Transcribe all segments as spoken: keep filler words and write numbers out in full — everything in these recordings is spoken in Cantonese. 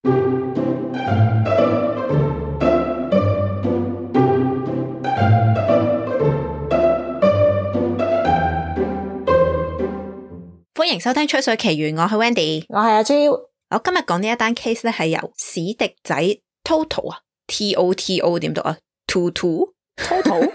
歡迎收聽吹水奇緣，我係 Wendy， 我係阿 Jo。我今日講呢一單 case 咧，係由史迪仔 Toto 啊 ，T O T O 點讀啊 ？Toto Toto，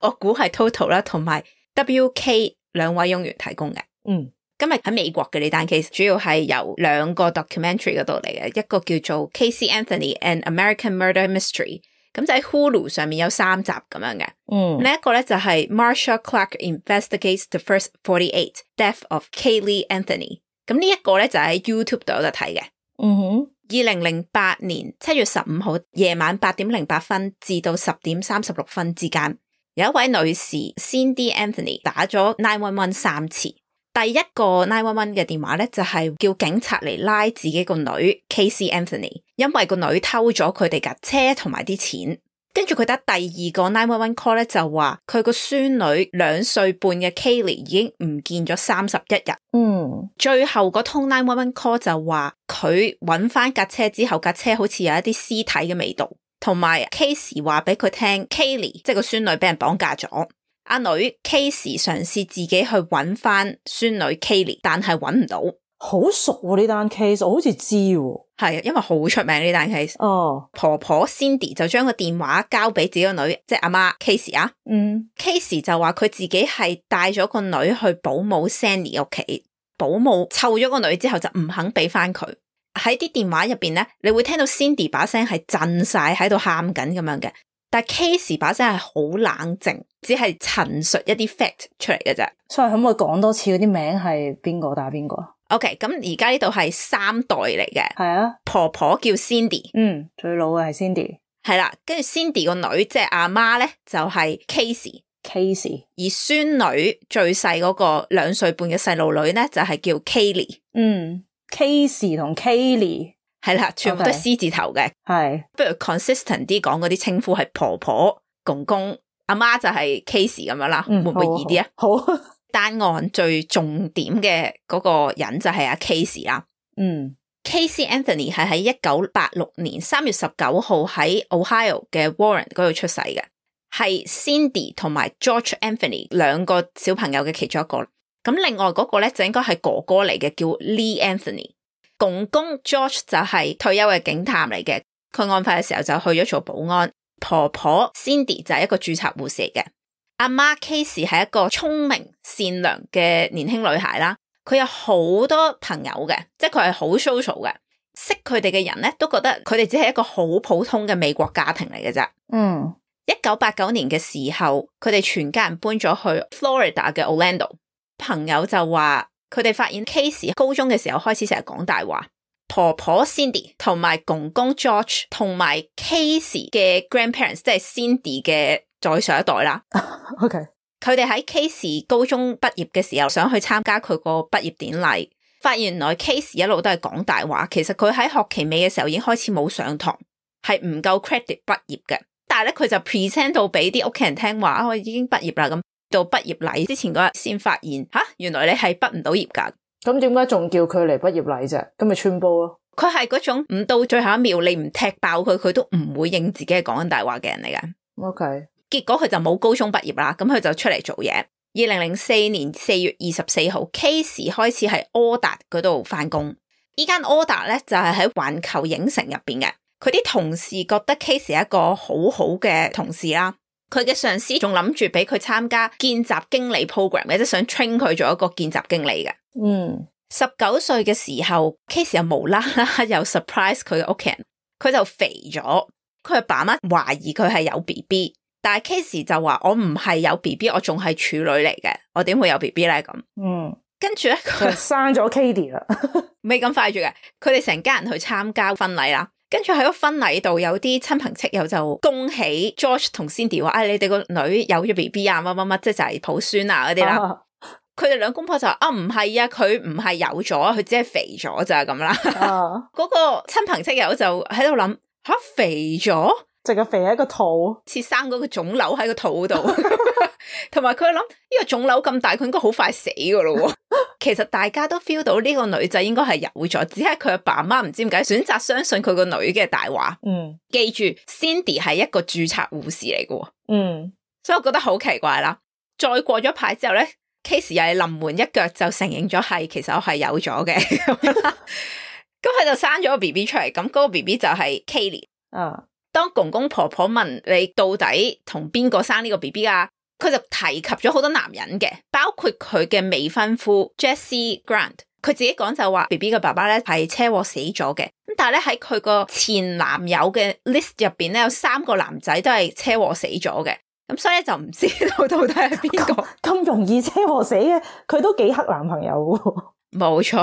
我估係 Toto 啦，同埋 W K 兩位傭員提供嘅。嗯，今日喺美國嘅呢單 case 主要係由兩個 documentary 嗰度嚟嘅，一個叫做 Casey Anthony and American Murder Mystery， 咁就喺 Hulu 上面有三集咁樣嘅。嗯，另一個咧就係 Marsha Clark Investigates the First forty-eight Death of Caylee Anthony， 咁呢一個咧就喺 YouTube 度有得睇嘅。嗯哼，二零零八年七月十五號夜晚八點零八分至到十點三十六分之間，有一位女士 Cindy Anthony 打咗九一一三次。第一個九一一嘅電話咧就係叫警察嚟拉自己個女 Casey Anthony， 因為個女偷咗佢哋架車同埋啲錢。跟住佢打第二個九一一 call 咧就話佢個孫女兩歲半嘅 Caylee 已經唔見咗三十一日。嗯，最後個通九一一 call 就話佢揾翻架車之後，架車好似有一啲屍體嘅味道，同埋 Casey 話俾佢聽 Caylee 即係個孫女俾人綁架咗。阿女 Casey 嘗試自己去揾翻孫女 Caylee， 但係揾唔到。好熟喎呢單 case， 我好似知喎。係，因為好出名呢單 case。哦，婆婆 Cindy 就將個電話交俾自己個女，即係阿媽 Casey 啊。嗯 Casey 就話佢自己係帶咗個女去保姆 Sandy 屋企，保姆湊咗個女之後就唔肯俾翻佢。喺啲電話入邊咧，你會聽到 Cindy 把聲係震晒喺度喊緊咁樣嘅，但係 Casey 把聲係好冷靜，只係陳述一啲 fact 出嚟嘅啫。所以可唔可以講多次嗰啲名係邊個打邊個？OK， 咁而家呢度係三代嚟嘅。係啊，婆婆婆叫 Cindy， 嗯，最老嘅係 Cindy， 係啦，跟住 Cindy 個女即係阿媽咧就係 Casey，Casey， 而孫女最細嗰個兩歲半嘅細路女咧就係叫 Caylee， 嗯 ，Casey 同 Caylee， 係啦，全部都係 C 字頭嘅，係、okay，不如 consistent 啲講嗰啲稱呼係婆婆、公公、阿媽就係 Casey 咁樣啦，嗯、會唔會易啲啊？好。好單案最重點嘅嗰個人就係阿 Casey 啦。嗯 Casey Anthony 係喺一九八六年三月十九號喺 Ohio 嘅 Warren 嗰度出世嘅，係 Cindy 同埋 George Anthony 兩個小朋友嘅其中一個。咁另外嗰個咧就應該係哥哥嚟嘅，叫 Lee Anthony。公公 George 就係退休嘅警探嚟嘅，佢案發嘅時候就去咗做保安。婆婆 Cindy 就係一個註冊護士嚟嘅。阿媽 Casey 係一個聰明善良嘅年輕女孩啦，佢有好多朋友嘅，即係佢係好 social 嘅，識佢哋嘅人咧都覺得佢哋只係一個好普通嘅美國家庭嚟嘅啫。嗯，一九八九年嘅時候，佢哋全家人搬咗去 Florida 嘅 Orlando。朋友就話佢哋發現 Casey 高中嘅時候開始成日講大話，婆婆 Cindy 同埋公公 George 同埋 Casey 嘅 grandparents， 即係 Cindy 嘅再上一代啦。OK， 佢哋喺 Casey 高中畢業嘅時候想去參加佢個畢業典禮，發現原來 Casey 一路都係講大話，其實佢喺學期尾嘅時候已經開始冇上堂，係唔夠 credit 畢業嘅。但係咧佢就 present 到俾啲屋企人聽話，我已經畢業啦，咁到畢業禮之前嗰日先發現吓，原來你係畢唔到業噶。咁點解仲叫佢嚟畢業禮啫？咁咪穿煲咯。佢係嗰種唔到最後一秒你唔踢爆佢，佢都唔會認自己係講緊大話嘅人嚟噶。OK。結果佢就冇高中畢業啦，咁佢就出嚟做嘢。二零零四年四月二十四號 Casey 開始喺柯達嗰度翻工。呢間柯達咧就係喺環球影城入邊嘅。佢啲同事覺得 Casey 係一個好好嘅同事啦。佢嘅上司仲諗住俾佢參加見習經理 program 嘅，即係想 train 佢做一個見習經理嘅。嗯，十九歲嘅時候 Casey 又無啦啦又 surprise 佢嘅屋企人，佢就肥咗。佢阿爸媽懷疑佢係有 B B。但係 Casey 就話我唔係有 B B， 我仲係處女嚟嘅，我點會有 B B 咧咁？嗯，跟住咧佢生咗 Katie 啦，未咁快住嘅。佢哋成家人去參加婚禮啦，跟住喺個婚禮度有啲親朋戚友就恭喜 George 同 Cindy 話：，哎，你哋個女有咗 B B 啊，乜乜乜，即係就係抱孫啊嗰啲啦。佢哋兩公婆就話：，啊，唔係啊，佢唔係有咗，佢只係肥咗咋咁啦。嗰個親朋戚友就喺度諗：，吓，肥咗？淨係肥喺個肚，似生嗰個腫瘤喺個肚度，同埋佢諗呢個腫瘤咁大，佢應該好快死噶咯。其實大家都 feel 到呢個女仔應該係有咗，只係佢阿爸媽唔知點解選擇相信佢個女嘅大話。嗯，記住 Cindy 係一個註冊護士嚟嘅，嗯，所以我覺得好奇怪啦。再過咗排之後咧 ，Casey 又係臨門一腳就承認咗係，其實我係有咗嘅。咁佢就生咗個 B B 出嚟，咁嗰個 B B 就係 Kaylee。啊，當公公婆婆問你到底同邊個生呢個 B B 啊，佢就提及咗好多男人嘅，包括佢嘅未婚夫 Jesse Grant。佢自己講就話 B B 嘅爸爸咧係車禍死咗嘅，咁但係咧喺佢個前男友嘅 list 入邊咧有三個男仔都係車禍死咗嘅，咁所以就唔知道到底係邊個。咁容易車禍死嘅，佢都幾黑男朋友喎。冇錯。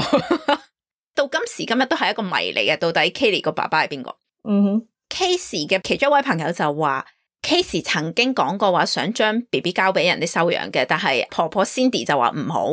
到今時今日都係一個謎嚟嘅，到底 Kaylee 個爸爸係邊個？嗯哼 Casey 嘅其中一位朋友就話 Casey 曾經講過話想將 B B 交俾人哋收養嘅，但係婆婆 Cindy 就話唔好。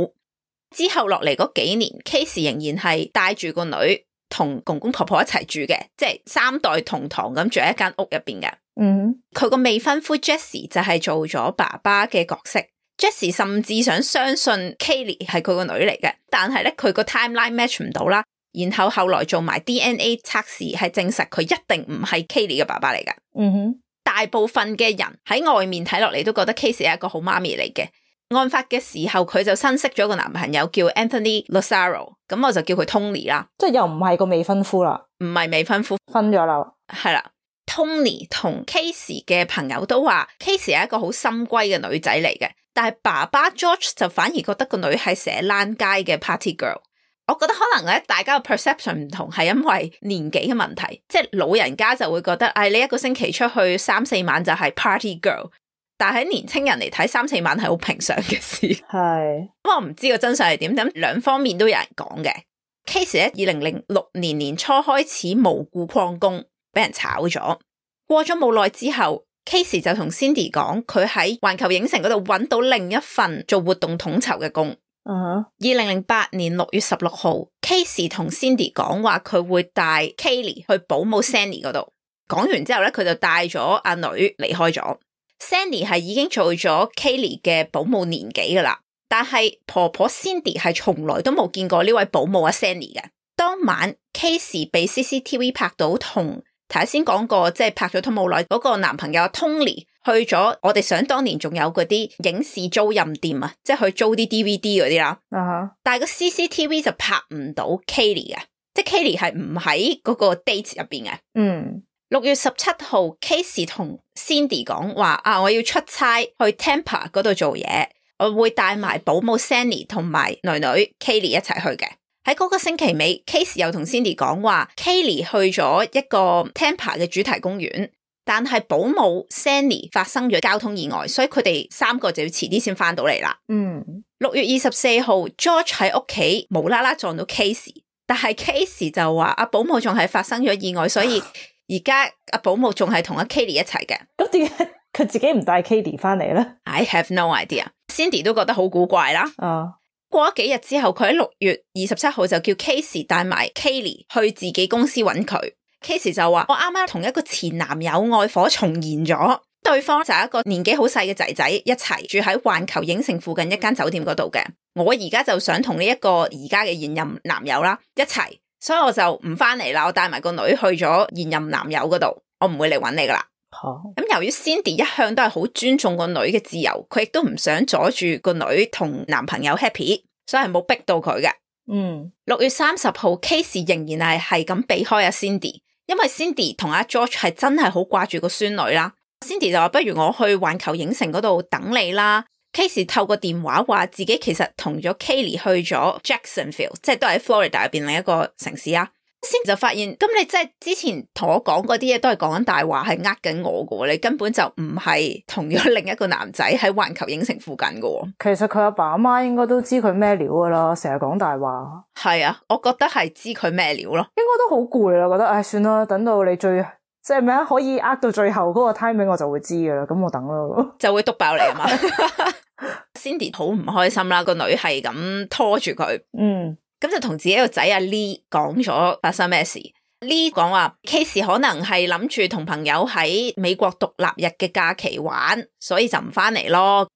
之後落嚟嗰幾年 Casey 仍然係帶住個女同公公婆婆一齊住嘅，即係三代同堂咁住喺一間屋入邊嘅。嗯，佢個未婚夫 Jesse 就係做咗爸爸嘅角色。Jesse 甚至想相信 Kaylee 係佢個女嚟嘅，但係咧佢個 timeline match 唔到啦。然後後來做埋 D N A 測試，係證實佢一定唔係 Kaylee 嘅爸爸嚟嘅。嗯哼，大部分嘅人喺外面睇落嚟都覺得 Casey 係一個好媽咪嚟嘅。案發嘅時候，佢就新識咗個男朋友叫 Anthony Lazzaro， 咁我就叫佢 Tony 啦。即係又唔係個未婚夫啦，唔係未婚夫，分咗啦。係啦。Tony 同 Casey 嘅朋友都話 Casey 係一個好深閨嘅女仔嚟嘅，但係爸爸 George 就反而覺得個女係成日躝街嘅 party girl。我覺得可能咧，大家嘅 perception 唔同，係因為年紀嘅問題，即係老人家就會覺得，哎，你一個星期出去三四晚就係 party girl，但係喺年青人嚟睇，三四晚係好平常嘅事。係，咁我唔知個真相係點，咁兩方面都有人講嘅。Casey 咧，二零零六年年初開始無故曠工，俾人炒咗。過咗冇耐之後 ，Casey 就同 Cindy 講，佢喺環球影城嗰度揾到另一份做活動統籌嘅工。嗯哼，二零零八年六月十六號 Casey 同 Cindy 講話佢會帶 Kaylee 去保姆 Sandy 嗰度。講完之後咧，佢就帶咗阿女離開咗。Sandy 係已經做咗 Kaylee 嘅保姆年幾噶啦，但係婆婆 Cindy 係從來都冇見過呢位保姆阿 Sandy 嘅。當晚 Casey 被 C C T V 拍到同頭先講過，即係拍咗拖冇耐嗰個男朋友 Tony 去咗我哋想當年仲有嗰啲影視租賃店啊，即係去租啲 D V D 嗰啲啦。啊哈、uh-huh. 但係個 C C T V 就拍唔到 Kaylee 嘅，即係 Kaylee 係唔喺嗰個 date 入邊嘅。嗯，六月十七號 Casey 同 Cindy 講話啊，我要出差去 Tampa 嗰度做嘢，我會帶埋保姆 Sandy 同埋女女 Kaylee 一齊去嘅。喺嗰個星期尾 Casey 又同 Cindy 講話 Kaylee 去咗一個 Tampa 嘅主題公園，但係保姆 Sandy 發生咗交通意外，所以佢哋三個就要遲啲先翻到嚟啦。嗯，六月二十四號 George 喺屋企無啦啦撞到 Casey， 但係 Casey 就話阿保姆仲係發生咗意外，所以而家阿保姆仲係同阿 Kaylee 一齊嘅。咁點解佢自己唔帶 Kaylee 翻嚟咧 I have no idea。 Cindy 都覺得好古怪啦。啊，過咗幾日之後，佢喺六月二十七號就叫 Casey 帶埋 Kaylee 去自己公司揾佢。Casey 就話我啱啱同一個前男友愛火重燃咗，對方就係一個年紀好細嘅仔仔，一齊住喺環球影城附近一間酒店嗰度嘅。我而家就想同呢一個而家嘅現任男友啦一齊，所以我就唔翻嚟啦，我帶埋個女去咗現任男友嗰度，我唔會嚟揾你噶啦。好，咁由於 Cindy 一向都係好尊重個女嘅自由，佢亦都唔想阻住個女同男朋友 happy， 所以係冇逼到佢嘅。嗯，六月三十號 Casey 仍然係係咁避開阿 Cindy， 因為 Cindy 同阿 George 係真係好掛住個孫女啦。Cindy 就話不如我去環球影城嗰度等你啦。Casey 透過電話話自己其實同咗 Kaylee 去咗 Jacksonville， 即係都喺 Florida 入邊另一個城市啊。先就發現，咁你即係之前同我講嗰啲嘢都係講緊大話，係呃緊我㗎喎，你根本就唔係同咗另一個男仔喺環球影城附近㗎喎。其實佢阿爸阿媽應該都知佢咩料㗎啦，成日講大話。係啊，我覺得係知佢咩料咯。應該都好攰啦，覺得唉、哎、算啦，等到你最即係咩可以呃到最後嗰個 timing 我就會知㗎啦，咁我等咯。就會督爆你啊嘛。Cindy 好唔開心啦，個女係咁拖住佢。嗯。咁就同自己個仔阿 Lee 講咗發生咩事。呢講話 Casey 可能係諗住同朋友喺美國獨立日嘅假期玩，所以就唔翻嚟咯。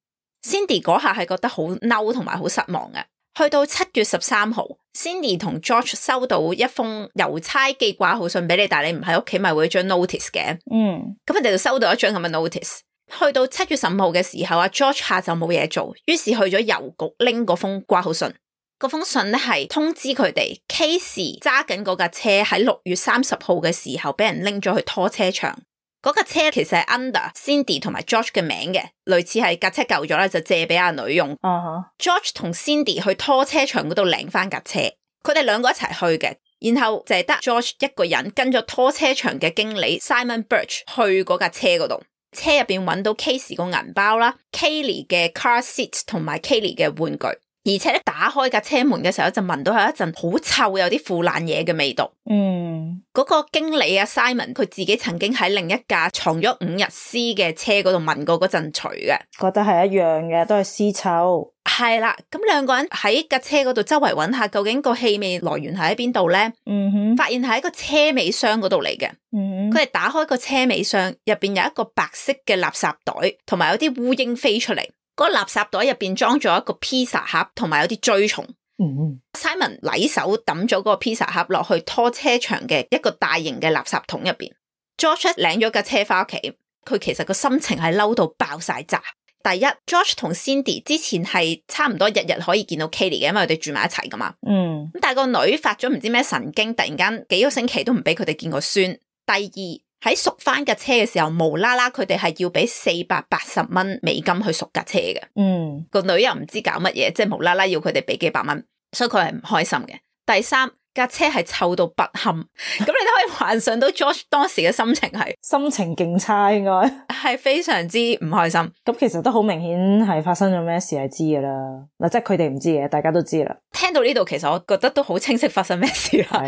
Cindy 嗰下係覺得好嬲同埋好失望嘅。去到七月十三號 Cindy 同 George 收到一封郵差寄掛號信俾你，但係你唔喺屋企咪會有張 notice 嘅。嗯，咁佢哋就收到一張咁嘅 notice。去到七月十五號嘅時候，阿 George 下晝冇嘢做，於是去咗郵局拎嗰封掛號信。嗰封信咧係通知佢哋 Casey 揸緊嗰架車喺六月三十號嘅時候俾人拎咗去拖車場。嗰架車其實係 under Cindy 同埋 George 嘅名嘅，類似係架車舊咗咧就借俾阿女用。Uh-huh. George 同 Cindy 去拖車場嗰度領翻架車，佢哋兩個一齊去嘅，然後就係得 George 一個人跟咗拖車場嘅經理 Simon Birch 去嗰架車嗰度。車入邊揾到 Casey 個銀包啦 Kaylee 嘅 car seat 同埋 Kaylee 嘅玩具，而且咧打開架車門嘅時候就聞到有一陣好臭有啲腐爛嘢嘅味道。嗯，嗰個經理啊 Simon 佢自己曾經喺另一架藏咗五日屍嘅車嗰度聞過嗰陣除嘅，覺得係一樣嘅，都係屍臭。係啦，咁兩個人喺架車嗰度周圍揾下，究竟個氣味來源係喺邊度咧？嗯哼，發現係喺個車尾箱嗰度嚟嘅。嗯哼，佢哋打開個車尾箱，入邊有一個白色嘅垃圾袋，同埋有啲烏蠅飛出嚟。嗰個垃圾袋入邊裝咗一個披薩盒，同埋有啲蛆蟲。嗯 Simon 禮手抌咗嗰個披薩盒落去拖車場嘅一個大型嘅垃圾桶入邊。George 領咗架車翻屋企，佢其實個心情係嬲到爆晒炸。第一 ，George 同 Cindy 之前係差唔多日日可以見到 Kaylee 嘅，因為佢哋住埋一齊噶嘛。嗯，咁但係個女發咗唔知咩神經，突然間幾個星期都唔俾佢哋見個孫。第二，喺贖翻架車嘅時候，無啦啦佢哋係要俾四百八十蚊美金去贖架車嘅。嗯，個女又唔知搞乜嘢，即係無啦啦要佢哋俾幾百蚊，所以佢係唔開心嘅。第三，架車係臭到不堪，咁你都可以幻想到 George 當時嘅心情係心情勁差，應該係非常之唔開心。咁其實都好明顯係發生咗咩事係知噶啦，嗱，即係佢哋唔知嘅，大家都知啦。聽到呢度，其實我覺得都好清晰發生咩事啦。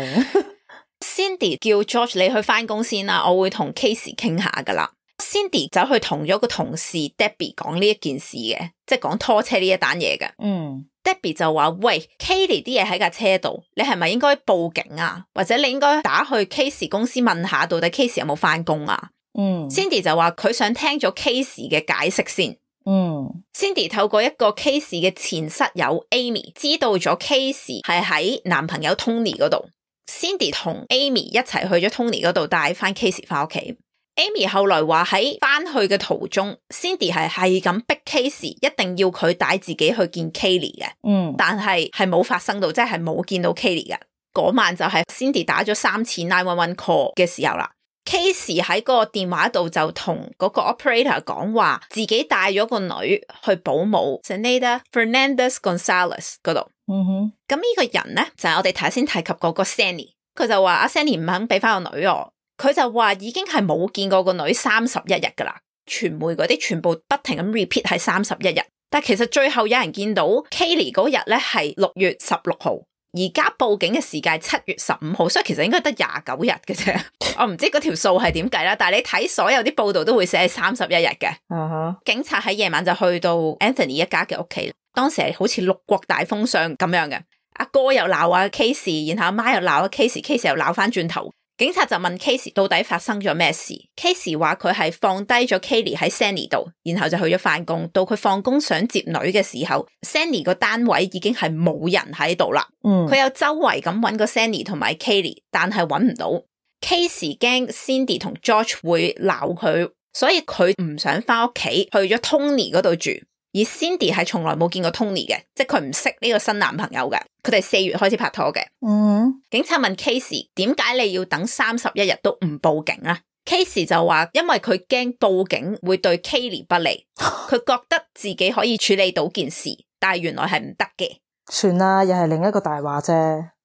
Cindy 叫 George 你去翻工先啦，我會同 Casey 傾下噶啦。Cindy 走去同咗個同事 Debbie 講呢一件事嘅，即係講拖車呢一單嘢嘅。嗯。Debbie 就話：喂 Kaylee 啲嘢喺架車度，你係咪應該報警啊？或者你應該打去 Casey 公司問下，到底 Casey 有冇翻工啊？嗯 Cindy 就話佢想聽咗 Casey 嘅解釋先。嗯 Cindy 透過一個 Casey 嘅前室友 Amy 知道咗 Casey 係喺男朋友 Tony 嗰度。Cindy 同 Amy 一齊去咗 Tony 嗰度帶翻 Casey 翻屋企。Amy 後來話喺翻去嘅途中 Cindy 係係咁逼 Casey 一定要佢帶自己去見 Kaylee 嘅，嗯，但係係冇發生到，即係冇見到 Kaylee 嘅。嗰晚就係 Cindy 打咗三次九一一 call 嘅時候啦。Casey 喺個電話度就同嗰個 operator 講話，自己帶咗個女去保姆 Zenaida Fernandez Gonzalez 嗰度。嗯哼，咁呢個人咧就係、是、我哋頭先提及嗰個 Sandy， 佢就話阿 Sandy 唔肯俾翻個女我。佢就話已經係冇見過個女三十一日噶啦，傳媒嗰啲全部不停咁 repeat 係三十一日，但其實最後有人見到 Kaylee 嗰日咧係六月十六號，而家報警嘅時間係七月十五號，所以其實應該得廿九日嘅啫。我唔知嗰條數係點計啦，但係你睇所有啲報道都會寫係三十一日嘅。Uh-huh. 警察喺夜晚就去到 Anthony 一家嘅屋企，當時係好似六國大封相咁樣嘅，阿哥又鬧阿 Casey， 然後阿媽又鬧阿 Casey，Casey 又鬧翻轉頭。警察就問 Casey 到底發生咗咩事 ，Casey 話佢係放低咗 Kaylee 喺 Sandy 度，然後就去咗翻工。到佢放工想接女嘅時候 ，Sandy 個單位已經係冇人喺度啦。嗯，佢有周圍咁揾個 Sandy 同埋 Kaylee， 但係揾唔到。Casey 驚 Cindy 同 George 會鬧佢，所以佢唔想翻屋企，去咗 Tony 嗰度住。而 Cindy 係從來冇見過 Tony 嘅，即係佢唔識呢個新男朋友嘅。佢哋四月開始拍拖嘅。嗯，警察問 Casey 點解你要等三十一日都唔報警啊？ Casey 就話因為佢驚報警會對 Kaylee 不利，佢覺得自己可以處理到件事，但係原來係唔得嘅。算啦，又係另一個大話啫。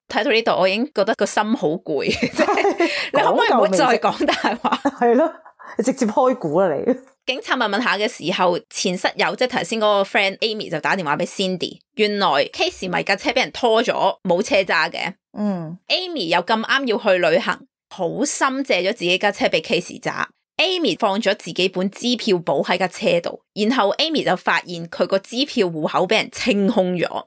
睇到呢度我已經覺得個心好攰，你可唔可以唔好再講大話？係咯，你直接開估啦你。警察問問下嘅時候，前室友即係頭先嗰個 friend Amy 就打電話俾 Cindy， 原來 Casey 咪架車俾人拖咗，冇車揸嘅。嗯 Amy 又咁啱要去旅行，好心借咗自己架車俾 Casey 揸。Amy 放咗自己本支票簿喺架車度，然後 Amy 就發現佢個支票戶口俾人清空咗。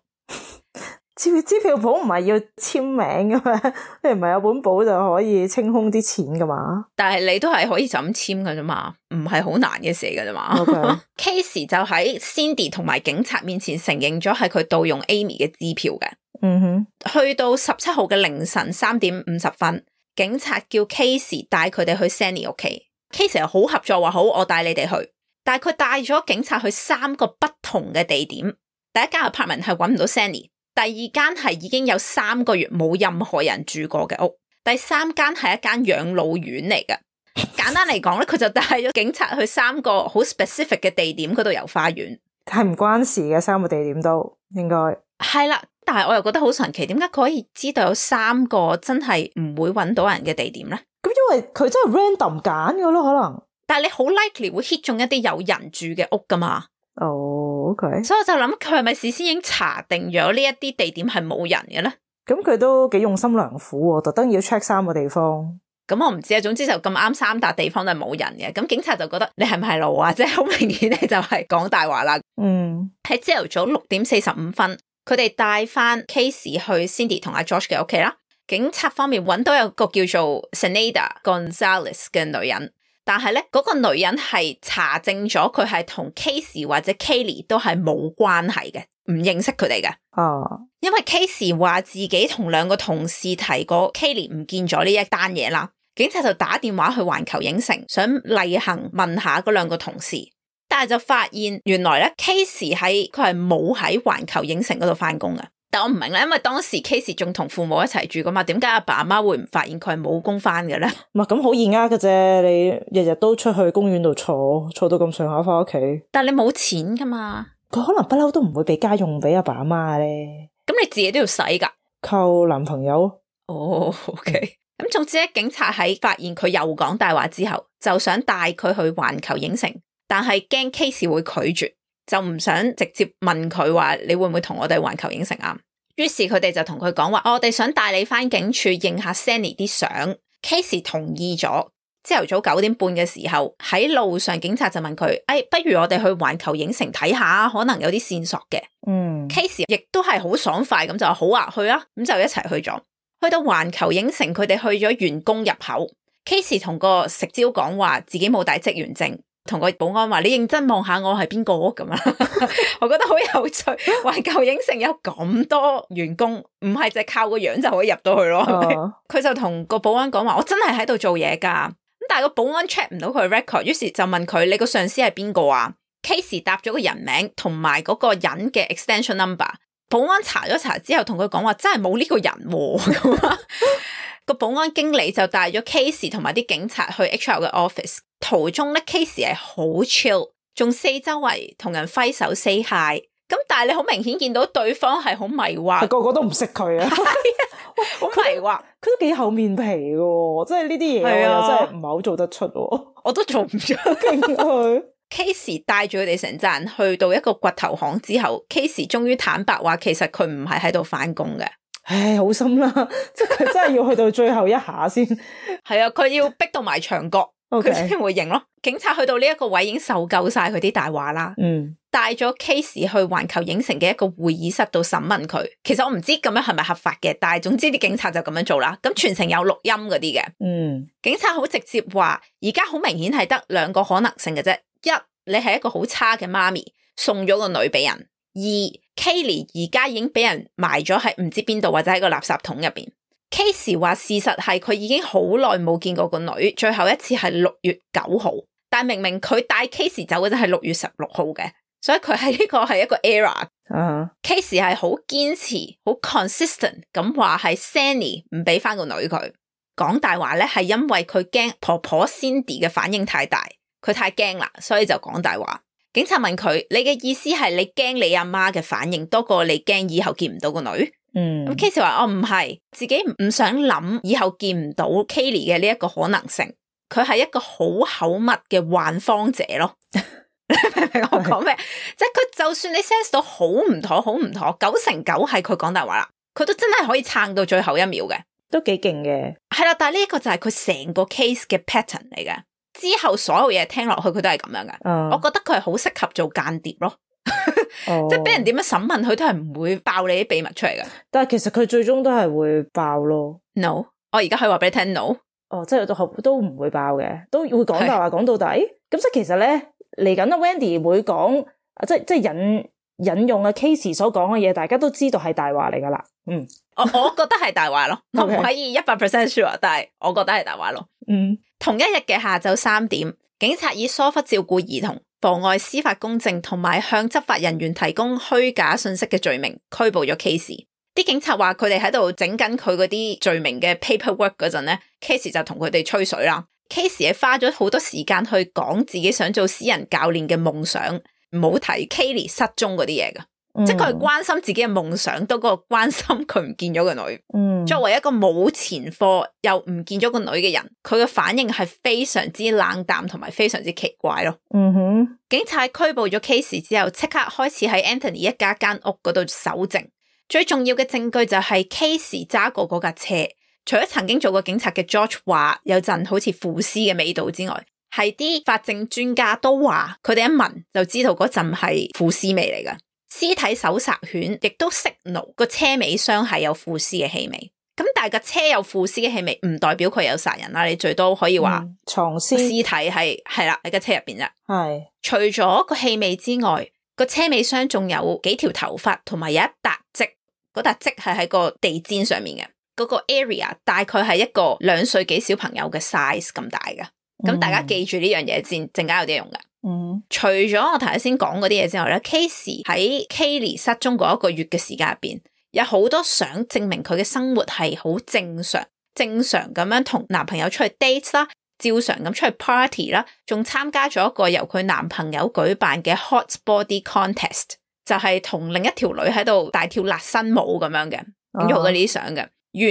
支支票簿唔係要簽名噶嘛？你唔係有本簿就可以清空啲錢噶嘛？但係你都係可以就咁簽噶啫嘛，唔係好難嘅事噶啫嘛。Okay. Casey 就喺 Cindy 同埋警察面前承認咗係佢盜用 Amy 嘅支票嘅。嗯哼，去到十七號嘅凌晨三點五十分，警察叫 Casey 帶佢哋去 Sandy 屋企。Casey 又好合作，話好，我帶你哋去。但係佢帶咗警察去三個不同嘅地點。第一間 apartment 係揾唔到 Sandy， 第二間係已經有三個月冇任何人住過嘅屋，第三間係一間養老院嚟嘅。簡單嚟講咧，佢就帶咗警察去三個好 specific 嘅地點嗰度遊花園。係唔關事嘅，三個地點都應該係啦。但係我又覺得好神奇，點解佢可以知道有三個真係唔會揾到人嘅地點咧？咁因為佢真係 random 揀嘅咯，可能。但係你好 likely 會 hit 中一啲有人住嘅屋噶嘛？哦、oh，OK。所以我就諗佢係咪事先已經查定咗呢一啲地點係冇人嘅咧？咁佢都幾用心良苦喎，特登要 check 三個地方。咁我唔知啊，總之就咁啱三笪地方都係冇人嘅。咁警察就覺得你係唔係路啊？即係好明顯你就係講大話啦。嗯，喺朝頭早六點四十五分。佢哋帶翻 Casey 去 Cindy 同阿 George 嘅屋企啦。警察方面揾到有個叫做 Zenaida Gonzalez 嘅女人，但係咧嗰個女人係查證咗佢係同 Casey 或者 Kaylee 都係冇關係嘅，唔認識佢哋嘅。哦，因為 Casey 話自己同兩個同事提過 Kaylee 唔見咗呢一單嘢啦，警察就打電話去環球影城，想例行問下嗰兩個同事。但係就發現原來咧 Casey 喺佢係冇喺環球影城嗰度翻工嘅。但我唔明咧，因為當時 Casey 仲同父母一齊住噶嘛，點解阿爸阿媽會唔發現佢係冇工翻嘅咧？唔係咁好易呃嘅啫，你日日都出去公園度坐，坐到咁上下翻屋企。但係你冇錢噶嘛，佢可能不嬲都唔會俾家用俾阿爸阿媽咧。咁你自己都要使噶，靠男朋友。哦、oh，OK。咁總之咧，警察喺發現佢又講大話之後，就想帶佢去環球影城。但係驚 Casey 會拒絕，就唔想直接問佢話你會唔會同我哋環球影城啊？於是佢哋就同佢講話，我哋想帶你翻警署影下 Sandy 啲相。Casey 同意咗。朝頭早九點半嘅時候，喺路上警察就問佢，哎，不如我哋去環球影城睇下，可能有啲線索嘅。嗯 Casey 亦都係好爽快咁就話好啊，去啊，咁就一齊去咗。去到環球影城，佢哋去咗員工入口。Casey 同個食蕉講話自己冇帶職員證。同個保安話，你認真望下我係邊個咁啊？我覺得好有趣。環球影城有咁多員工，唔係淨係靠個樣就可以入到去咯。佢、uh. 就同個保安講話，我真係喺度做嘢噶。咁但係個保安 check 唔到佢 record， 於是就問佢，你個上司係邊個啊？ Casey 答咗個人名同埋嗰個人嘅 extension number。保安查咗查之後，同佢講話真係冇呢個人咁啊。個保安經理就帶咗 Casey 同埋啲警察去 H R 嘅 office。途中咧 Casey 係好 chill， 仲四周圍同人揮手 say hi， 咁但係你好明顯見到對方係好迷惑，個個都唔識佢啊，好迷惑，佢都幾厚面皮嘅，即係呢啲嘢我又真係唔係好做得出，我都做唔出佢。Casey 帶住佢哋成扎人去到一個掘頭巷之後，Casey 終於坦白話其實佢唔係喺度翻工嘅。唉，好心啦，即係佢真係要去到最後一下先，係啊，佢要逼到埋牆角。佢先 Okay. 會認咯。警察去到呢一個位已經受夠晒佢啲大話啦。嗯，帶咗 Casey 去環球影城嘅一個會議室度審問佢。其實我唔知咁樣係咪合法嘅，但係總之啲警察就咁樣做啦。咁全程有錄音嗰啲嘅。嗯，警察好直接話，而家好明顯係得兩個可能性嘅啫。一，你係一個好差嘅媽咪，送咗個女俾人。二 ，Kaylee 而家已經俾人埋咗喺唔知邊度或者喺個垃圾桶入邊。Casey 話事實係佢已經好耐冇見過個女，最後一次係六月九號，但明明佢帶 Casey 走嘅就係六月十六號嘅，所以佢係呢個係一個 error。Uh-huh. Casey 係好堅持、好 consistent 咁話係 Sandy 唔俾翻個女佢，講大話咧係因為佢驚婆婆 Cindy 嘅反應太大，佢太驚啦，所以就講大話。警察問佢：你嘅意思係你驚你阿媽嘅反應多過你驚以後見唔到個女？嗯，咁 Casey 話我唔係，自己唔想諗以後見唔到 Kaylee 嘅呢一個可能性，佢係一個好口密嘅幻方者咯。你明唔明我講咩？即係佢就算你 sense 到好唔妥，好唔妥，九成九係佢講大話啦，佢都真係可以撐到最後一秒嘅，都幾勁嘅。係啦，但係呢一個就係佢成個 case 嘅 pattern 嚟嘅，之後所有嘢聽落去佢都係咁樣嘅。嗯，我覺得佢係好適合做間諜咯。哦、即係俾人點樣審問佢都係唔會爆你啲秘密出嚟㗎。但係其實佢最終都係會爆咯。No，我而家可以話俾你聽 no。哦，即係都都唔會爆嘅，都會講大話講到底。咁即係其實咧嚟緊阿 Wendy 會講，即係即係引引用阿 Casey 所講嘅嘢，大家都知道係大話嚟噶啦。嗯，我我覺得係大話咯，我唔可以一百 percent sure，但係我覺得係大話咯。嗯，同一日嘅下晝三點，警察以疏忽照顧兒童、妨礙司法公正同埋向執法人員提供虛假信息嘅罪名拘捕咗 Casey。啲警察話佢哋喺度整緊佢嗰啲罪名嘅 paperwork 嗰陣咧 Casey 就同佢哋吹水啦。Casey 係花咗好多時間去講自己想做私人教練嘅夢想，唔好提 Kayleigh 失蹤嗰啲嘢噶，嗯、即係佢係關心自己嘅夢想多過關心佢唔見咗個女。嗯，作為一個冇前科又唔見咗個女嘅人，佢嘅反應係非常之冷淡同埋非常之奇怪咯。嗯哼，警察拘捕咗 Casey 之後，即刻開始喺 Anthony 一家間屋嗰度搜證。最重要嘅證據就係 Casey 揸過嗰架車，除咗曾經做過警察嘅 George 話有陣好似腐屍嘅味道之外，係啲法證專家都話佢哋一聞就知道嗰陣係腐屍味嚟㗎。屍體搜查犬亦都識怒個車尾箱係有腐屍嘅氣味。咁但係個車有腐屍嘅氣味唔代表佢有殺人啦，你最多可以話、嗯、藏屍屍體係係啦喺個車入邊啫。係除咗個氣味之外，個車尾箱仲有幾條頭髮同埋有一笪跡。嗰笪跡係喺個地氈上面嘅，嗰、嗰個 area 大概係一個兩歲幾小朋友嘅 size 咁大嘅。咁、嗯、大家記住呢樣嘢先，陣間有啲用嘅。嗯，除咗我頭先講嗰啲嘢之外咧 Casey 喺 Kayleigh 失蹤嗰一個月嘅時間入邊，有好多相證明佢嘅生活係好正常，正常咁樣同男朋友出去 date 啦，照常咁出去 party 啦，仲參加咗一個由佢男朋友舉辦嘅 hot body contest。就係同另一條女喺度大跳辣身舞咁樣嘅，影咗好多呢啲相嘅，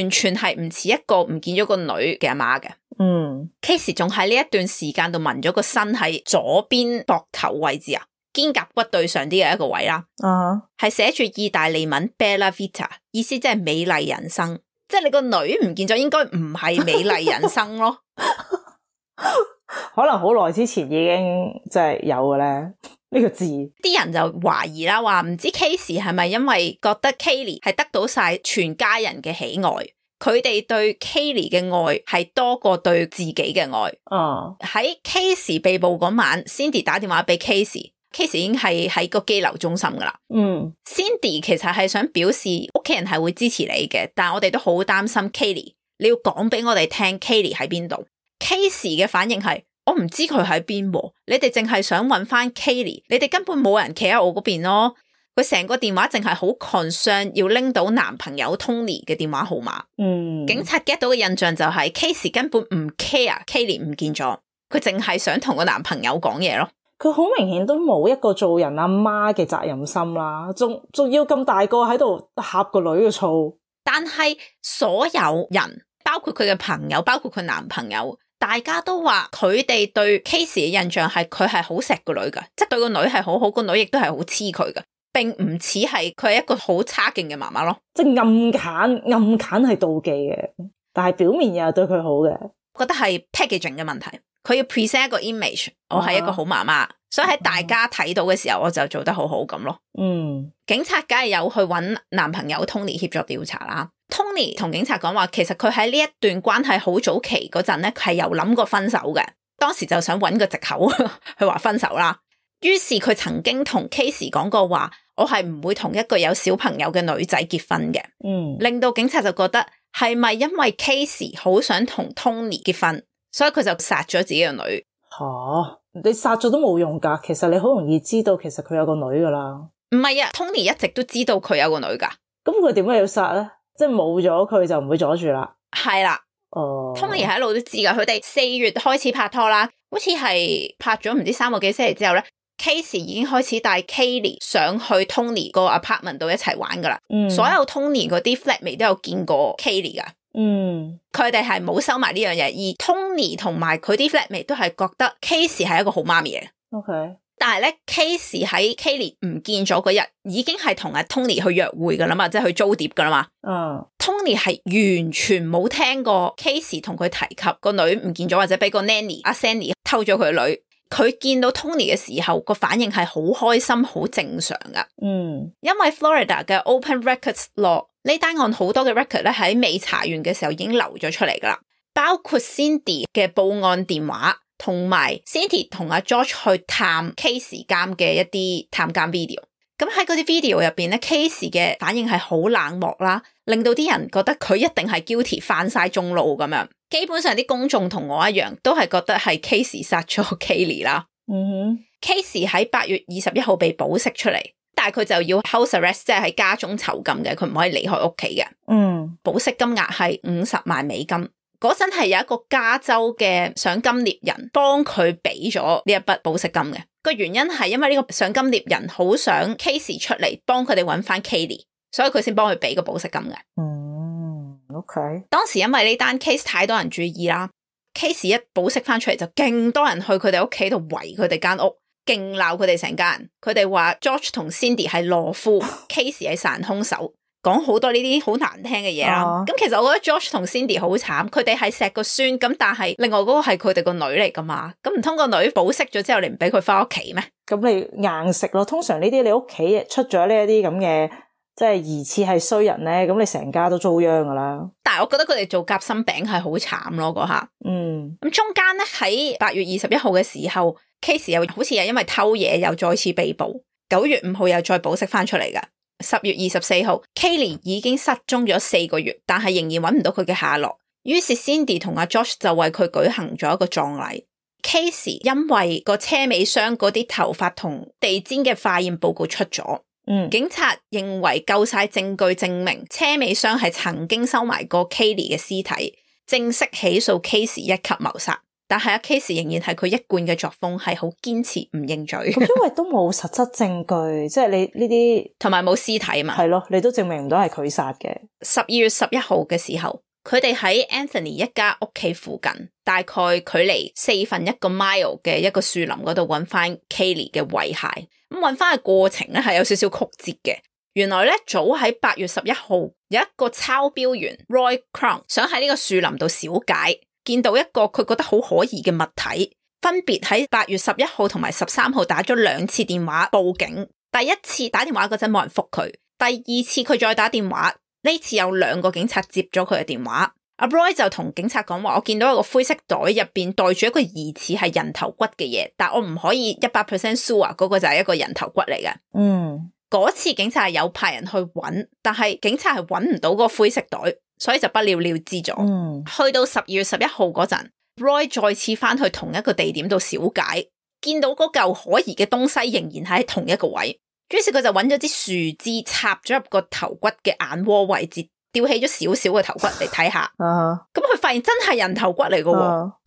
完全係唔似一個唔見咗個女嘅阿媽嘅。嗯 Casey 仲喺呢一段時間度紋咗個身喺左邊膊頭位置啊，肩胛骨對上啲嘅一個位啦。啊，係寫住意大利文 Bella Vita， 意思即係美麗人生，即係你個女唔見咗，應該唔係美麗人生咯。可能好耐之前已經即係有嘅咧。呢個字，啲人就懷疑啦，話唔知 Casey 係咪因為覺得 Kayleigh 係得到晒全家人嘅喜愛，佢哋對 Kayleigh 嘅愛係多過對自己嘅愛。哦，喺 Casey 被捕嗰晚 ，Cindy 打電話俾 Casey，Casey 已經係喺個羈留中心噶啦。嗯 ，Cindy 其實係想表示屋企人係會支持你嘅，但係我哋都好擔心 Kayleigh，你要講俾我哋聽 Kayleigh 喺邊度。Casey 嘅反應係。我唔知佢喺邊，你哋淨係想揾翻 Kayleigh， 你哋根本冇人企喺我嗰邊咯。佢成個電話淨係好 concern 要拎到男朋友 Tony 嘅電話號碼。嗯，警察 get 到嘅印象就係 Casey 根本唔 care Kayleigh 唔見咗，佢淨係想同個男朋友講嘢咯。佢好明顯都冇一個做人阿媽嘅責任心啦，仲仲要咁大個喺度呷個女嘅醋。但係所有人，包括佢嘅朋友，包括佢男朋友。大家都話佢哋對 Casey 嘅印象係佢係好錫個女噶，即係對個女係好好，個女亦都係好黐佢噶，並唔似係佢係一個好差勁嘅媽媽咯。即係暗砍暗砍係妒忌嘅，但係表面又係對佢好嘅。我覺得係 packaging 嘅問題，佢要 present 一個 image，我係一個好媽媽，啊、所以喺大家睇到嘅時候，我就做得好好咁咯。嗯，警察梗係有去揾男朋友 Tony 協助調查啦。Tony 同警察講話，其實佢喺呢一段關係好早期嗰陣咧，佢係有諗過分手嘅。當時就想揾個藉口去話分手啦。於是佢曾經同 Casey 講過話，我係唔會同一個有小朋友嘅女仔結婚嘅。嗯，令到警察就覺得係咪因為 Casey 好想同 Tony 結婚，所以佢就殺咗自己個女？吓、啊，你殺咗都冇用噶。其實你好容易知道，其實佢有個女噶啦。唔係啊 ，Tony 一直都知道佢有個女噶。咁佢點解要殺咧？即係冇咗佢就唔會阻住啦。係啦，哦 Tony 喺度都知噶。佢哋四月開始拍拖啦，好似係拍咗唔知三個幾星期之後咧 Casey 已經開始帶 Kayleigh 上去 Tony 個 apartment 度一齊玩噶啦。嗯，所有 Tony 嗰啲 flatmate 都有見過 Kayleigh 噶。嗯，佢哋係冇收埋呢樣嘢，而 Tony 同埋佢啲 flatmate 都係覺得 Casey 係一個好媽咪嘅。OK。但係咧 Casey 喺 Kayleigh 唔見咗嗰日，已經係同阿 Tony 去約會噶啦嘛，即係去租碟噶啦嘛。嗯 Tony 係完全冇聽過 Casey 同佢提及個女唔見咗，或者俾個 nanny 阿 Sandy 偷咗佢個女。佢見到 Tony 嘅時候個反應係好開心好正常噶。嗯，因為 Florida 嘅 Open Records Law 呢單案好多嘅 record 咧喺未查完嘅時候已經流咗出嚟噶啦，包括 Cindy 嘅報案電話同埋 Cindy 同阿 George 去探 Casey 監嘅一啲探監 video。咁喺嗰啲 video 入邊咧 Casey 嘅反應係好冷漠啦，令到啲人覺得佢一定係 guilty 犯晒中路咁樣。基本上啲公眾同我一樣都係覺得係 Casey 殺咗 Kaylee 啦。嗯哼 Casey 喺八月二十一號被保釋出嚟，但係佢就要 house arrest， 即係喺家中囚禁嘅，佢唔可以離開屋企嘅。嗯，保釋金額係五十萬美金。嗰陣係有一個加州嘅賞金獵人幫佢俾咗呢一筆保釋金嘅，個原因係因為呢個賞金獵人好想 Casey 出嚟幫佢哋揾翻 Kaylee， 所以佢先幫佢俾個保釋金嘅。嗯 ，OK。當時因為呢單 case 太多人注意啦 ，Casey 一保釋翻出嚟就勁多人去佢哋屋企度圍佢哋間屋，勁鬧佢哋成家人。佢哋話 George 同 Cindy 係懦夫，Casey 係殺人兇手。講好多呢啲好難聽嘅嘢啦，咁、uh-huh. 其實我覺得 George 同 Cindy 好慘，佢哋係錫個孫，咁但係另外嗰個係佢哋個女嚟噶嘛，咁唔通個女保釋咗之後你唔俾佢翻屋企咩？咁你硬食咯，通常呢啲你屋企出咗呢一啲咁嘅即係疑似係衰人咧，咁你成家都遭殃噶啦。但係我覺得佢哋做夾心餅係好慘咯嗰下。嗯，咁中間咧喺八月二十一號嘅時候 Casey 又好似係因為偷嘢又再次被捕，九月五號又再保釋翻出嚟噶。十月二十四號 Kaylee 已經失蹤咗四個月，但係仍然揾唔到佢嘅下落。於是 Cindy 同阿 George 就為佢舉行咗一個葬禮。Casey 因為個車尾箱嗰啲頭髮同地氈嘅化驗報告出咗，嗯，警察認為夠晒證據證明車尾箱係曾經收埋過 Kaylee 嘅屍體，正式起訴 Casey 一級謀殺。但係阿 Casey 仍然係佢一貫嘅作風，係好堅持唔認罪。咁因為都冇實質證據，即係你呢啲同埋冇屍體嘛。係咯，你都證明唔到係佢殺嘅。十二月十一號嘅時候，佢哋喺 Anthony 一家屋企附近，大概距離四分一個 mile 嘅一個樹林嗰度揾翻 Kaylee 嘅遺骸。咁揾翻嘅過程咧係有少少曲折嘅。原來咧早喺八月十一號，有一個抄標員 Roy Crown 想喺呢個樹林度小解。見到一個佢覺得好可疑嘅物體，分別喺八月十一號同埋十三號打咗兩次電話報警。第一次打電話嗰陣冇人覆佢，第二次佢再打電話，呢次有兩個警察接咗佢嘅電話。阿 Roy 就同警察講話，我見到一個灰色袋入邊袋住一個疑似係人頭骨嘅嘢，但我唔可以一百 percent sure 嗰個就係一個人頭骨嚟嘅。嗯，嗰次警察係有派人去揾，但係警察係揾唔到嗰個灰色袋。所以就不了了之咗。嗯，去到十二月十一號嗰陣 Roy 再次翻去同一個地點度小解，見到嗰嚿可疑嘅東西仍然係喺同一個位，於是佢就揾咗支樹枝插咗入個頭骨嘅眼窩位置，吊起咗少少嘅頭骨嚟睇下。咁佢發現真係人頭骨嚟嘅，佢、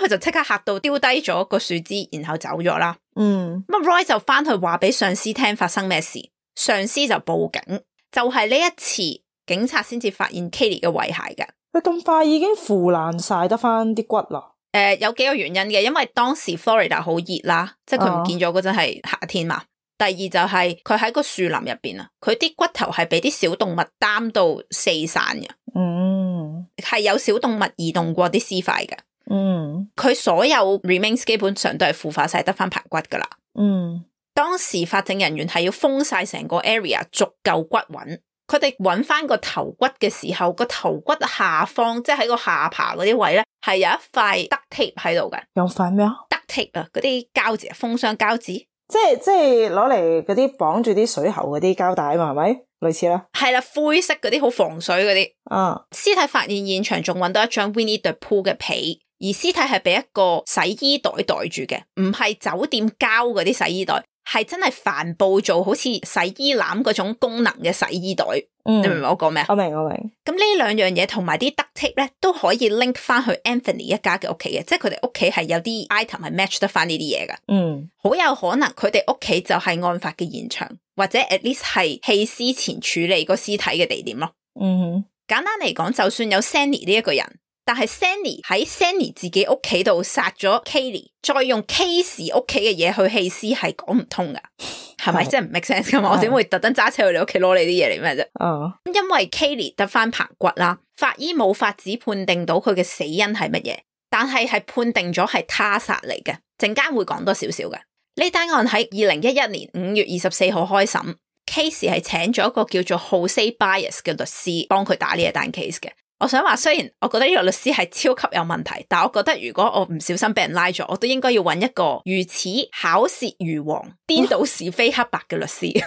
uh-huh. 就即刻嚇到丟低咗個樹枝，然後走咗啦。嗯，咁 Roy 就翻去話俾上司聽發生咩事，上司就報警，就係、是、呢一次。警察先至發現 Kaylee 嘅遺骸嘅。佢咁快已經腐爛晒得翻啲骨啦。誒、呃，有幾個原因嘅，因為當時 Florida 好熱啦，即係佢唔見咗嗰陣係夏天嘛。Uh-huh. 第二就係佢喺個樹林入邊啊，佢啲骨頭係俾啲小動物擔到四散嘅。嗯，係有小動物移動過啲屍塊嘅。嗯，佢所有 remains 基本上都係腐化晒得翻排骨噶啦。嗯，當時法證人員係要封晒成個 area， 逐嚿骨揾。佢哋揾翻個頭骨嘅時候，個頭骨下方即係喺個下巴嗰啲位咧，係有一塊 duct tape 喺度嘅。有塊咩啊 ？duct tape 啊，嗰啲膠紙，封箱膠紙，即係即係攞嚟嗰啲綁住啲水喉嗰啲膠帶嘛，係咪？類似啦。係啦，灰色嗰啲好防水嗰啲。啊，屍體發現現場仲揾到一張 Winnie the Pooh 嘅被，而屍體係俾一個洗衣袋袋住嘅，唔係酒店膠嗰啲洗衣袋。係真係帆布做好似洗衣籃嗰種功能嘅洗衣袋。嗯，你明唔明我講咩？我明我明。咁呢兩樣嘢同埋啲 duct tape 咧都可以 link 翻去 Anthony 一家嘅屋企嘅，即係佢哋屋企係有啲 item 係 match 得翻呢啲嘢㗎。嗯，好有可能佢哋屋企就係案發嘅現場，或者 at least 係棄屍前處理個屍體嘅地點咯。嗯，簡單嚟講，就算有 Sandy 呢一個人，但係 Sandy 喺 Sandy 自己屋企度殺咗 Kaylee， 再用 Casey 屋企嘅嘢去棄屍係講唔通噶，係咪？即係唔 make sense 噶嘛？我點會特登揸車去你屋企攞你啲嘢嚟咩啫？哦，因為 Kaylee 得翻棚骨啦，法醫冇法子判定到佢嘅死因係乜嘢，但係係判定咗係他殺嚟嘅，陣間會講多少少嘅。呢單案喺二零一一年五月二十四號開審 ，Casey 係請咗一個叫做 Jose Baez 嘅律師幫佢打呢一單 case 嘅。我想話，雖然我覺得呢個律師係超級有問題，但我覺得如果我唔小心俾人拉咗，我都應該要揾一個如此巧舌如簧、顛倒是非黑白嘅律師。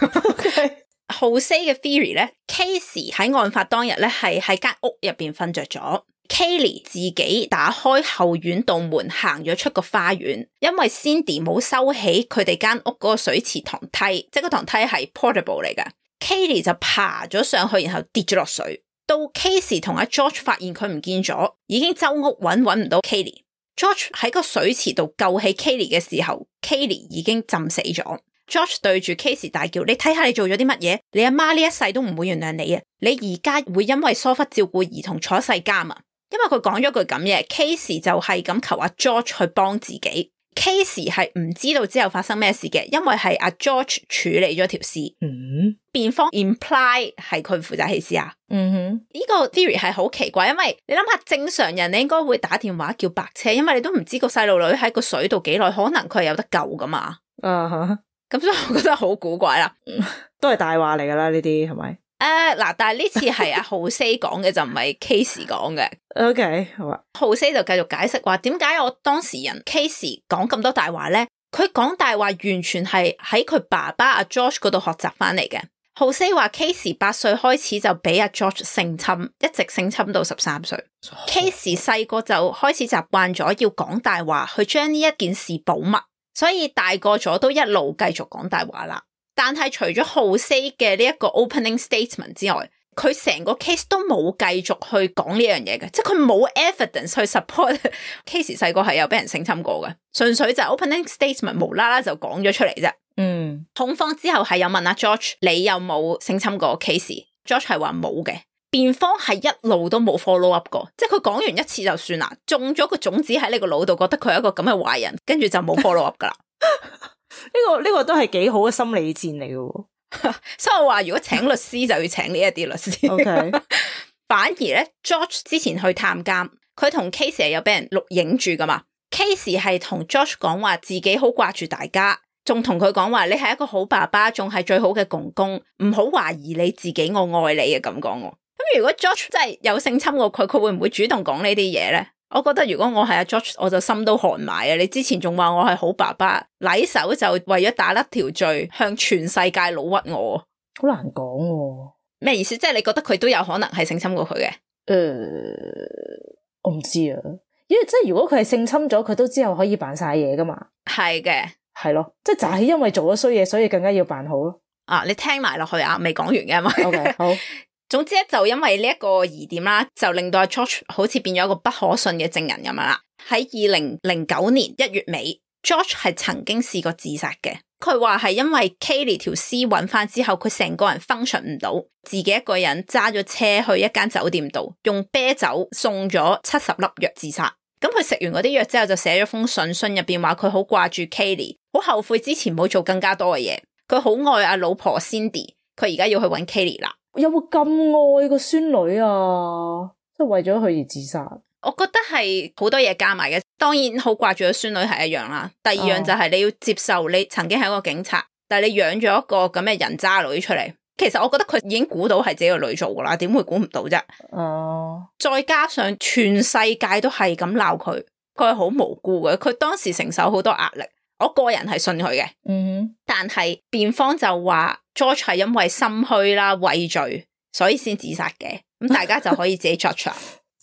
Jose 嘅 theory 咧 ，Casey 喺案發當日咧係喺間屋入邊瞓着咗 ，Kaylee 自己打開後院道門行咗出個花園，因為 Cindy 冇收起佢哋間屋嗰個水池塘梯，即係個塘梯係 portable 嚟㗎 ，Kaylee 就爬咗上去，然後跌咗落水。到 Casey 同阿 George 發現佢唔見咗，已經周屋揾揾唔到 Kaylee。George 喺個水池度救起 Kaylee 嘅時候 ，Kaylee 已經浸死咗。George 對住 Casey 大叫：你睇下你做咗啲乜嘢？你阿媽呢一世都唔會原諒你啊！你而家會因為疏忽照顧兒童坐世監啊！因為佢講咗句咁嘢 ，Casey 就係咁求阿 George 去幫自己。Casey 係唔知道之後發生咩事嘅，因為係阿 George 處理咗條屍。嗯，辯方 imply 係佢負責棄屍啊。嗯哼，呢個 theory 係好奇怪，因為你諗下正常人你應該會打電話叫白車，因為你都唔知個細路女喺個水度幾耐，可能佢係有得救噶嘛。啊哈，咁所以我覺得好古怪啦。都係大話嚟噶啦，呢啲係咪？誒，嗱，但係呢次係阿 Jose 講嘅，就唔係 Casey 講嘅。OK， 好啊。Jose 就繼續解釋話，點解我當事人 Casey 講咁多大話咧？佢講大話完全係喺佢爸爸阿 George 嗰度學習翻嚟嘅。Jose 話 Casey 八歲開始就俾阿 George 性侵，一直性侵到十三歲。Casey 細個就開始習慣咗要講大話，去將呢一件事保密，所以大個咗都一路繼續講大話啦。但係除咗 Jose 嘅呢一個 opening statement 之外，佢成個 case 都冇繼續去講呢樣嘢嘅，即係佢冇 evidence 去 support Casey 細個係有俾人性侵過嘅，純粹就 opening statement 無啦啦就講咗出嚟啫。嗯，控方之後係有問阿 George 你有冇性侵過 Casey？George 係話冇嘅，辯方係一路都冇 follow up 過，即係佢講完一次就算啦，種咗個種子喺你個腦度，覺得佢係一個咁嘅壞人，跟住就冇 follow up 噶啦。呢、這個呢、這個都係幾好嘅心理戰嚟嘅，所以我話如果請律師就要請呢一啲律師。Okay. 反而咧 ，George 之前去探監，佢同 Casey 係有俾人錄影住噶嘛。Casey 係同 George 講話自己好掛住大家，仲同佢講話你係一個好爸爸，仲係最好嘅公公，唔好懷疑你自己，我愛你嘅咁講。咁如果 George 真係有性侵過佢，佢會唔會主動講呢啲嘢咧？我覺得如果我係阿 George， 我就心都寒埋啊！你之前仲話我係好爸爸，禮手就為咗打甩條罪，向全世界老屈我，好難講喎。咩意思？即係你覺得佢都有可能係性侵過佢嘅？誒、呃，我唔知啊，因為即係如果佢係性侵咗，佢都之後可以扮晒嘢噶嘛。係嘅，係咯，即係就係因為做咗衰嘢，所以更加要扮好咯。啊，你聽埋落去啊，未講完嘅嘛。OK， 好。總之咧，就因為呢一個疑點啦，就令到阿 George 好似變咗一個不可信嘅證人咁樣啦。喺二零零九年一月尾 ，George 係曾經試過自殺嘅。佢話係因為 Kaylee 條屍揾翻之後，佢成個人 function 唔到，自己一個人揸咗車去一間酒店度，用啤酒送咗七十粒藥自殺。咁佢食完嗰啲藥之後，就寫咗封信，信入邊話佢好掛住 Kaylee，好後悔之前冇做更加多嘅嘢。佢好愛阿老婆 Cindy， 佢而家要去揾 Kaylee 啦。有冇咁愛個孫女啊？即係為咗佢而自殺？我覺得係好多嘢加埋嘅，當然好掛住個孫女係一樣啦。第二樣就係你要接受你曾經係一個警察，但係你養咗一個咁嘅人渣女出嚟。其實我覺得佢已經估到係自己個女做噶啦，點會估唔到啫？哦，再加上全世界都係咁鬧佢，佢係好無辜嘅。佢當時承受好多壓力。我個人係信佢嘅，嗯，但係辯方就話 George 係因為心虛啦、畏罪，所以先自殺嘅。咁大家就可以自己 judge 啦。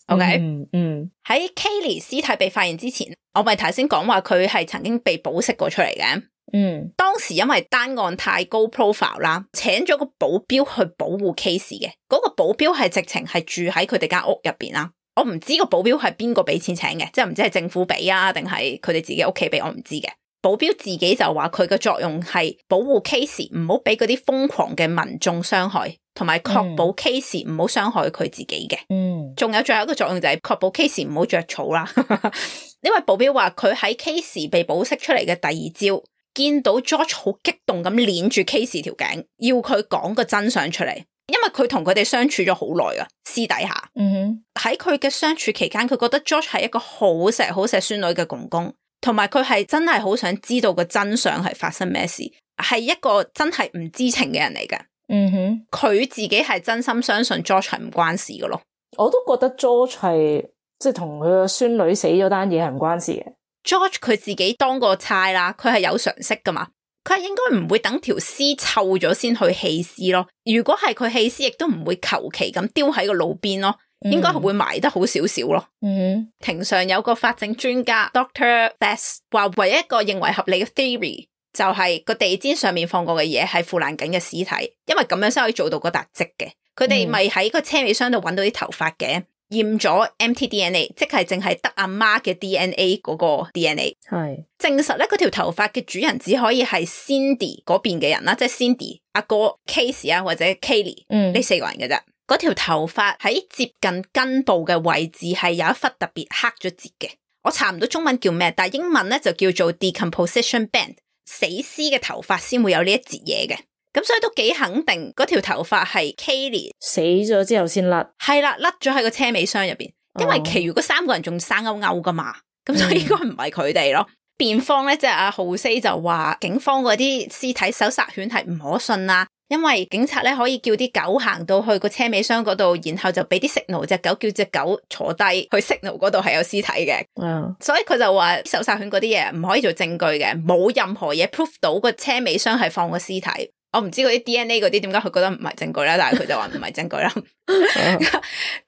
OK， 嗯嗯，喺 Kaylee 屍體被發現之前，我咪頭先講話佢係曾經被保釋過出嚟嘅。嗯，當時因為單案太高 profile 啦，請咗個保鏢去保護 Casey 嘅。嗰、那個保鏢係直情係住喺佢哋間屋入邊啦。我唔知個保鏢係邊個俾錢請嘅，即係唔知係政府俾啊，定係佢哋自己屋企俾，我唔知嘅。保鏢自己就話佢嘅作用係保護 Casey 唔好俾嗰啲瘋狂嘅民眾傷害，同埋確保 Casey 唔好傷害佢自己嘅。嗯，仲有最後一個作用就係確保 Casey 唔好着草啦。呢位保鏢話佢喺 Casey 被保釋出嚟嘅第二朝，見到 George 好激動咁鏈住 Casey 條頸，要佢講個真相出嚟，因為佢同佢哋相處咗好耐啊，私底下。嗯哼，喺佢嘅相處期間，佢覺得 George 係一個好錫好錫孫女嘅公公。同埋佢係真係好想知道個真相係發生咩事，係一個真係唔知情嘅人嚟嘅。嗯哼，佢自己係真心相信 George 係唔關事嘅咯。我都覺得 George 係即係同佢個孫女死咗單嘢係唔關事嘅。George 佢自己當過差啦，佢係有常識噶嘛，佢係應該唔會等條屍臭咗先去棄屍咯。如果係佢棄屍，亦都唔會求其咁丟喺個路邊咯，應該係會埋得好少少咯。嗯，庭上有個法證專家 Doctor Bass 話，唯一一個認為合理嘅 theory 就係個地氈上面放過嘅嘢係腐爛緊嘅屍體，因為咁樣先可以做到個笪跡嘅。佢哋咪喺個車尾箱度揾到啲頭髮嘅，驗咗 M T D N A， 即係淨係得阿媽嘅 D N A 嗰個 D N A， 係證實咧嗰條頭髮嘅主人只可以係 Cindy 嗰邊嘅人啦，即係 Cindy 阿哥 Casey 啊或者 Kaylee 呢、嗯、四個人嘅啫。嗰條頭髮喺接近根部嘅位置係有一忽特別黑咗節嘅，我查唔到中文叫咩，但係英文咧就叫做 decomposition band， 死屍嘅頭髮先會有呢一節嘢嘅。咁所以都幾肯定嗰條頭髮係 Kaylee 死咗之後先甩，係啦，甩咗喺個車尾箱入邊，因為其餘嗰三個人仲生勾勾噶嘛，咁、哦、所以應該唔係佢哋咯。辯、嗯、方咧即係阿浩西就話警方嗰啲屍體搜殺犬係唔可信啦，因為警察咧可以叫啲狗行到去個車尾箱嗰度，然後就俾啲 signal 隻狗叫隻狗坐低去 signal 嗰度係有屍體嘅，嗯，所以佢就話搜殺犬嗰啲嘢唔可以做證據嘅，冇任何嘢 proof 到個車尾箱係放個屍體。我唔知嗰啲 D N A 嗰啲點解佢覺得唔係證據啦，但係佢就話唔係證據啦。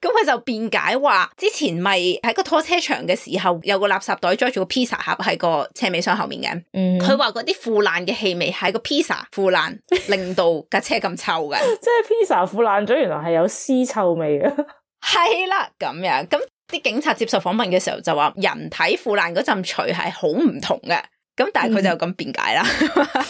咁佢就辯解話，之前咪喺個拖車場嘅時候，有個垃圾袋裝住個 pizza 盒喺個車尾箱後面嘅。佢話嗰啲腐爛嘅氣味係個 pizza 腐爛，令到架車咁臭嘅。即係 pizza 腐爛咗，原來係有屍臭味嘅。係啦，咁樣咁啲警察接受訪問嘅時候就話，人體腐爛嗰陣除係好唔同嘅。咁但係佢就咁辯解啦。嗯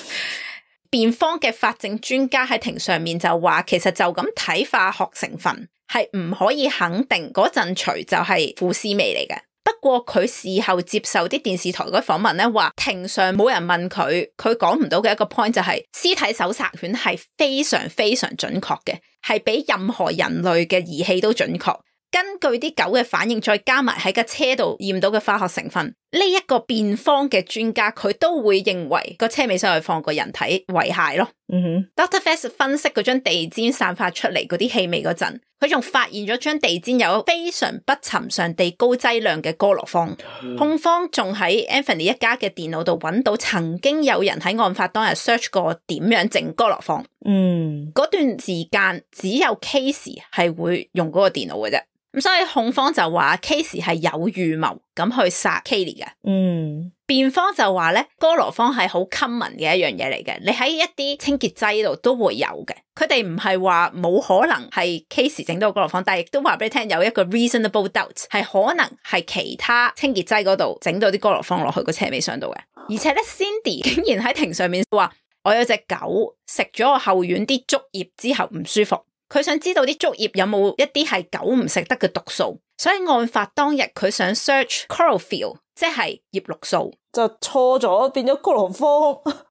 辯方嘅法證專家喺庭上面就話，其實就咁睇化學成分係唔可以肯定嗰陣除就係腐屍味嚟嘅。不過佢事後接受啲電視台嗰啲訪問咧，話庭上冇人問佢，佢講唔到嘅一個 point 就係、是、屍體搜查犬係非常非常準確嘅，係比任何人類嘅儀器都準確。根據啲狗嘅反應，再加埋喺架車度驗到嘅化學成分，呢、這、一個辯方嘅專家佢都會認為個車尾箱去放個人體遺骸咯。嗯哼 ，Doctor Fest 分析嗰張地氈散發出嚟嗰啲氣味嗰陣，佢仲發現咗張地氈有非常不尋常地高劑量嘅哥羅芳。嗯、控方仲喺 Anthony 一家嘅電腦度揾到曾經有人喺案發當日 search 過點樣整哥羅芳。嗯，嗰段時間只有 Casey 係會用嗰個電腦嘅啫。咁所以控方就話 Casey 係有預謀咁去殺 Kaylee 嘅。嗯，辯方就話咧，哥羅芳係好 common 嘅一樣嘢嚟嘅，你喺一啲清潔劑度都會有嘅。佢哋唔係話冇可能係 Casey 整到哥羅芳，但係亦都話俾你聽有一個 reasonable doubt 係可能係其他清潔劑嗰度整到啲哥羅芳落去個車尾箱度嘅。而且咧 Cindy 竟然喺庭上面話，我有隻狗食咗我後院啲竹葉之後唔舒服。佢想知道啲竹葉有冇一啲係狗唔食得嘅毒素，所以案發當日佢想 search chlorophyll， 即係葉綠素，就錯咗變咗哥羅芳。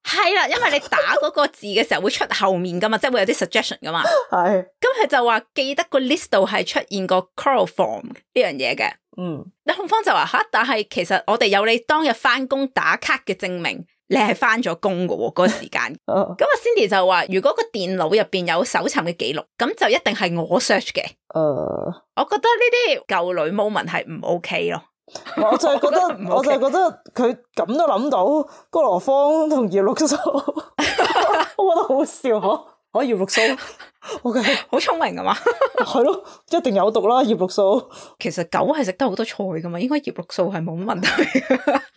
係啦，因為你打嗰個字嘅時候會出後面噶嘛，即係會有啲 suggestion 噶嘛。係，咁佢就話記得個 list 度係出現過 chloroform 呢樣嘢嘅。嗯，你控方就話吓，但係其實我哋有你當日翻工打卡嘅證明。你係翻咗工嘅喎，嗰個時間。咁啊、uh, ，Cindy 就話：如果個電腦入邊有搜尋嘅記錄，咁就一定係我 search 嘅。誒，uh, 我覺得呢啲舊女 moment 係唔 OK 咯。我就係覺得，我, OK 我就係覺得佢咁都諗到哥羅芳同葉綠素，我覺得好笑嗬。可以葉綠素，OK，好聰明啊嘛。係咯，一定有毒啦葉綠素。其實狗係食得好多菜噶嘛，應該葉綠素係冇乜問題。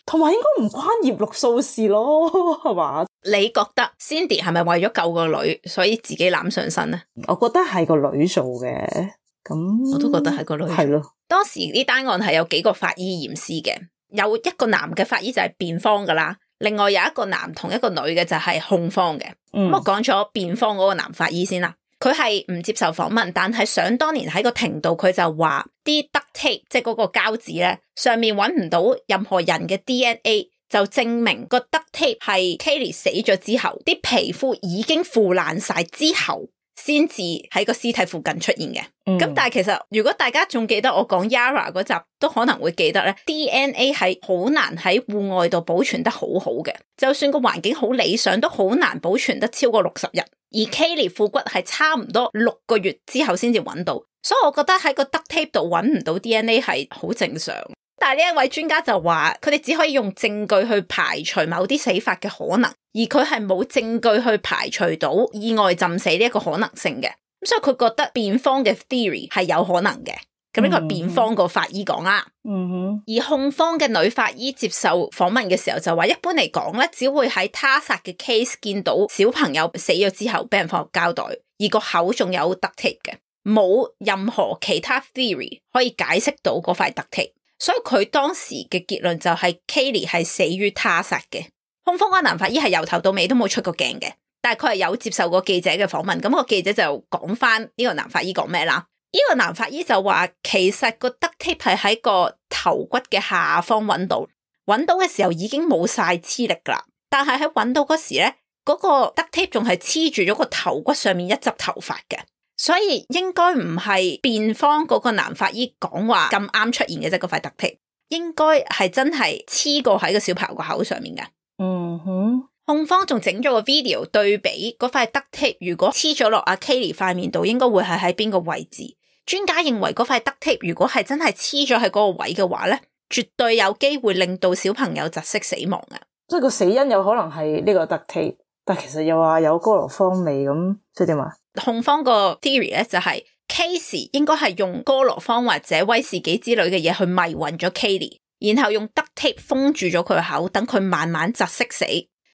同埋應該唔關葉綠素事咯，係嘛？你覺得 Cindy 係咪為咗救個女，所以自己攬上身咧？我覺得係個女做嘅，咁我都覺得係個女。係咯，當時呢單案係有幾個法醫驗屍嘅，有一個男嘅法醫就係辯方噶啦。另外有一個男同一個女嘅就係控方嘅。咁、嗯、我講咗辯方嗰個男法醫先啦，佢係唔接受訪問，但係想當年喺個庭度佢就話啲 duct tape 即係嗰個膠紙咧，上面揾唔到任何人嘅 D N A， 就證明個 duct tape 係 Kaylee 死咗之後啲皮膚已經腐爛晒之後先至喺個屍體附近出現嘅。咁、嗯、但係其實如果大家仲記得我講 Yara 嗰集，都可能會記得咧 D N A 係好難喺戶外度保存得好好嘅，就算個環境好理想，都好難保存得超過六十日。而 Kayleigh 副骨係差唔多六個月之後先至揾到，所以我覺得喺個 duct tape 度揾唔到 D N A 係好正常。但係呢一位專家就話，佢哋只可以用證據去排除某啲死法嘅可能，而佢係冇證據去排除到意外浸死呢一個可能性嘅。咁所以佢覺得辯方嘅 theory 係有可能嘅。咁呢個係辯方個法醫講啦。嗯哼。而控方嘅女法醫接受訪問嘅時候就話，一般嚟講咧，只會喺他殺嘅 case 見到小朋友死咗之後俾人放入膠袋，而個口仲有 duct tape 嘅，冇任何其他 theory 可以解釋到嗰塊 duct tape。所以佢當時嘅結論就係 Kayleigh 係死於他殺嘅。控方嗰個男法醫係由頭到尾都冇出過鏡嘅，但係佢係有接受過記者嘅訪問。咁個記者就講翻呢個男法醫講咩啦？呢個男法醫就話，其實個 duct tape 係喺個頭骨嘅下方揾到，揾到嘅時候已經冇晒黐力噶啦。但係喺揾到嗰時咧，嗰個 duct tape 仲係黐住咗個頭骨上面一執頭髮嘅。所以應該唔係辯方嗰個男法醫講話咁啱出現嘅啫，嗰塊 duct tape 應該係真係黐過喺個小朋友個口上面嘅。嗯哼，控方仲整咗個 video 對比嗰塊 duct tape，如果黐咗落阿 Kayleigh 塊面度，應該會係喺邊個位置？專家認為嗰塊 duct tape 如果係真係黐咗喺嗰個位嘅話咧，絕對有機會令到小朋友窒息死亡嘅。即係個死因有可能係呢個 duct tape，但其實又話有哥羅芳味咁，即係點啊？控方個 theory 咧就係 Casey 應該係用哥羅芳或者威士忌之類嘅嘢去迷暈咗 Kayleigh，然後用 duct tape 封住咗佢個口，等佢慢慢窒息死，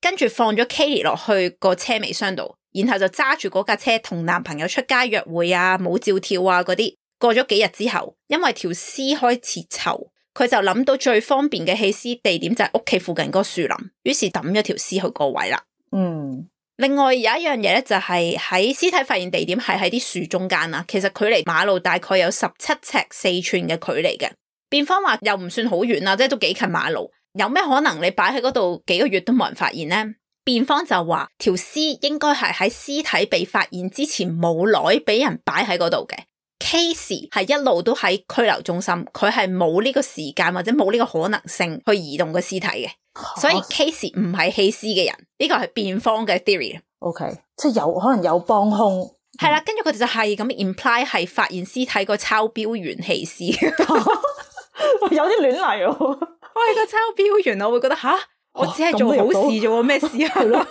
跟住放咗 Kayleigh 落去個車尾箱度，然後就揸住嗰架車同男朋友出街約會啊、舞照跳啊嗰啲。過咗幾日之後，因為條屍開始臭，佢就諗到最方便嘅棄屍地點就係屋企附近嗰個樹林，於是抌咗條屍去個位啦。嗯。另外有一樣嘢咧，就係喺屍體發現地點係喺啲樹中間啦，其實距離馬路大概有十七尺四寸嘅距離嘅。辯方話又唔算好遠啦，即係都幾近馬路，有咩可能你擺喺嗰度幾個月都冇人發現呢？辯方就話條屍應該係喺屍體被發現之前冇耐俾人擺喺嗰度嘅。Casey 係一路都喺拘留中心，佢係冇呢個時間或者冇呢個可能性去移動個屍體嘅。所以 Casey 唔係棄屍嘅人，呢個係辯方嘅 theory。OK， 即係有可能有幫兇，係啦，跟住佢哋就係咁 imply 係發現屍體個抄標員棄屍，有啲亂嚟喎。我係個抄標員，我會覺得吓，我只係做好事啫，咩事啊？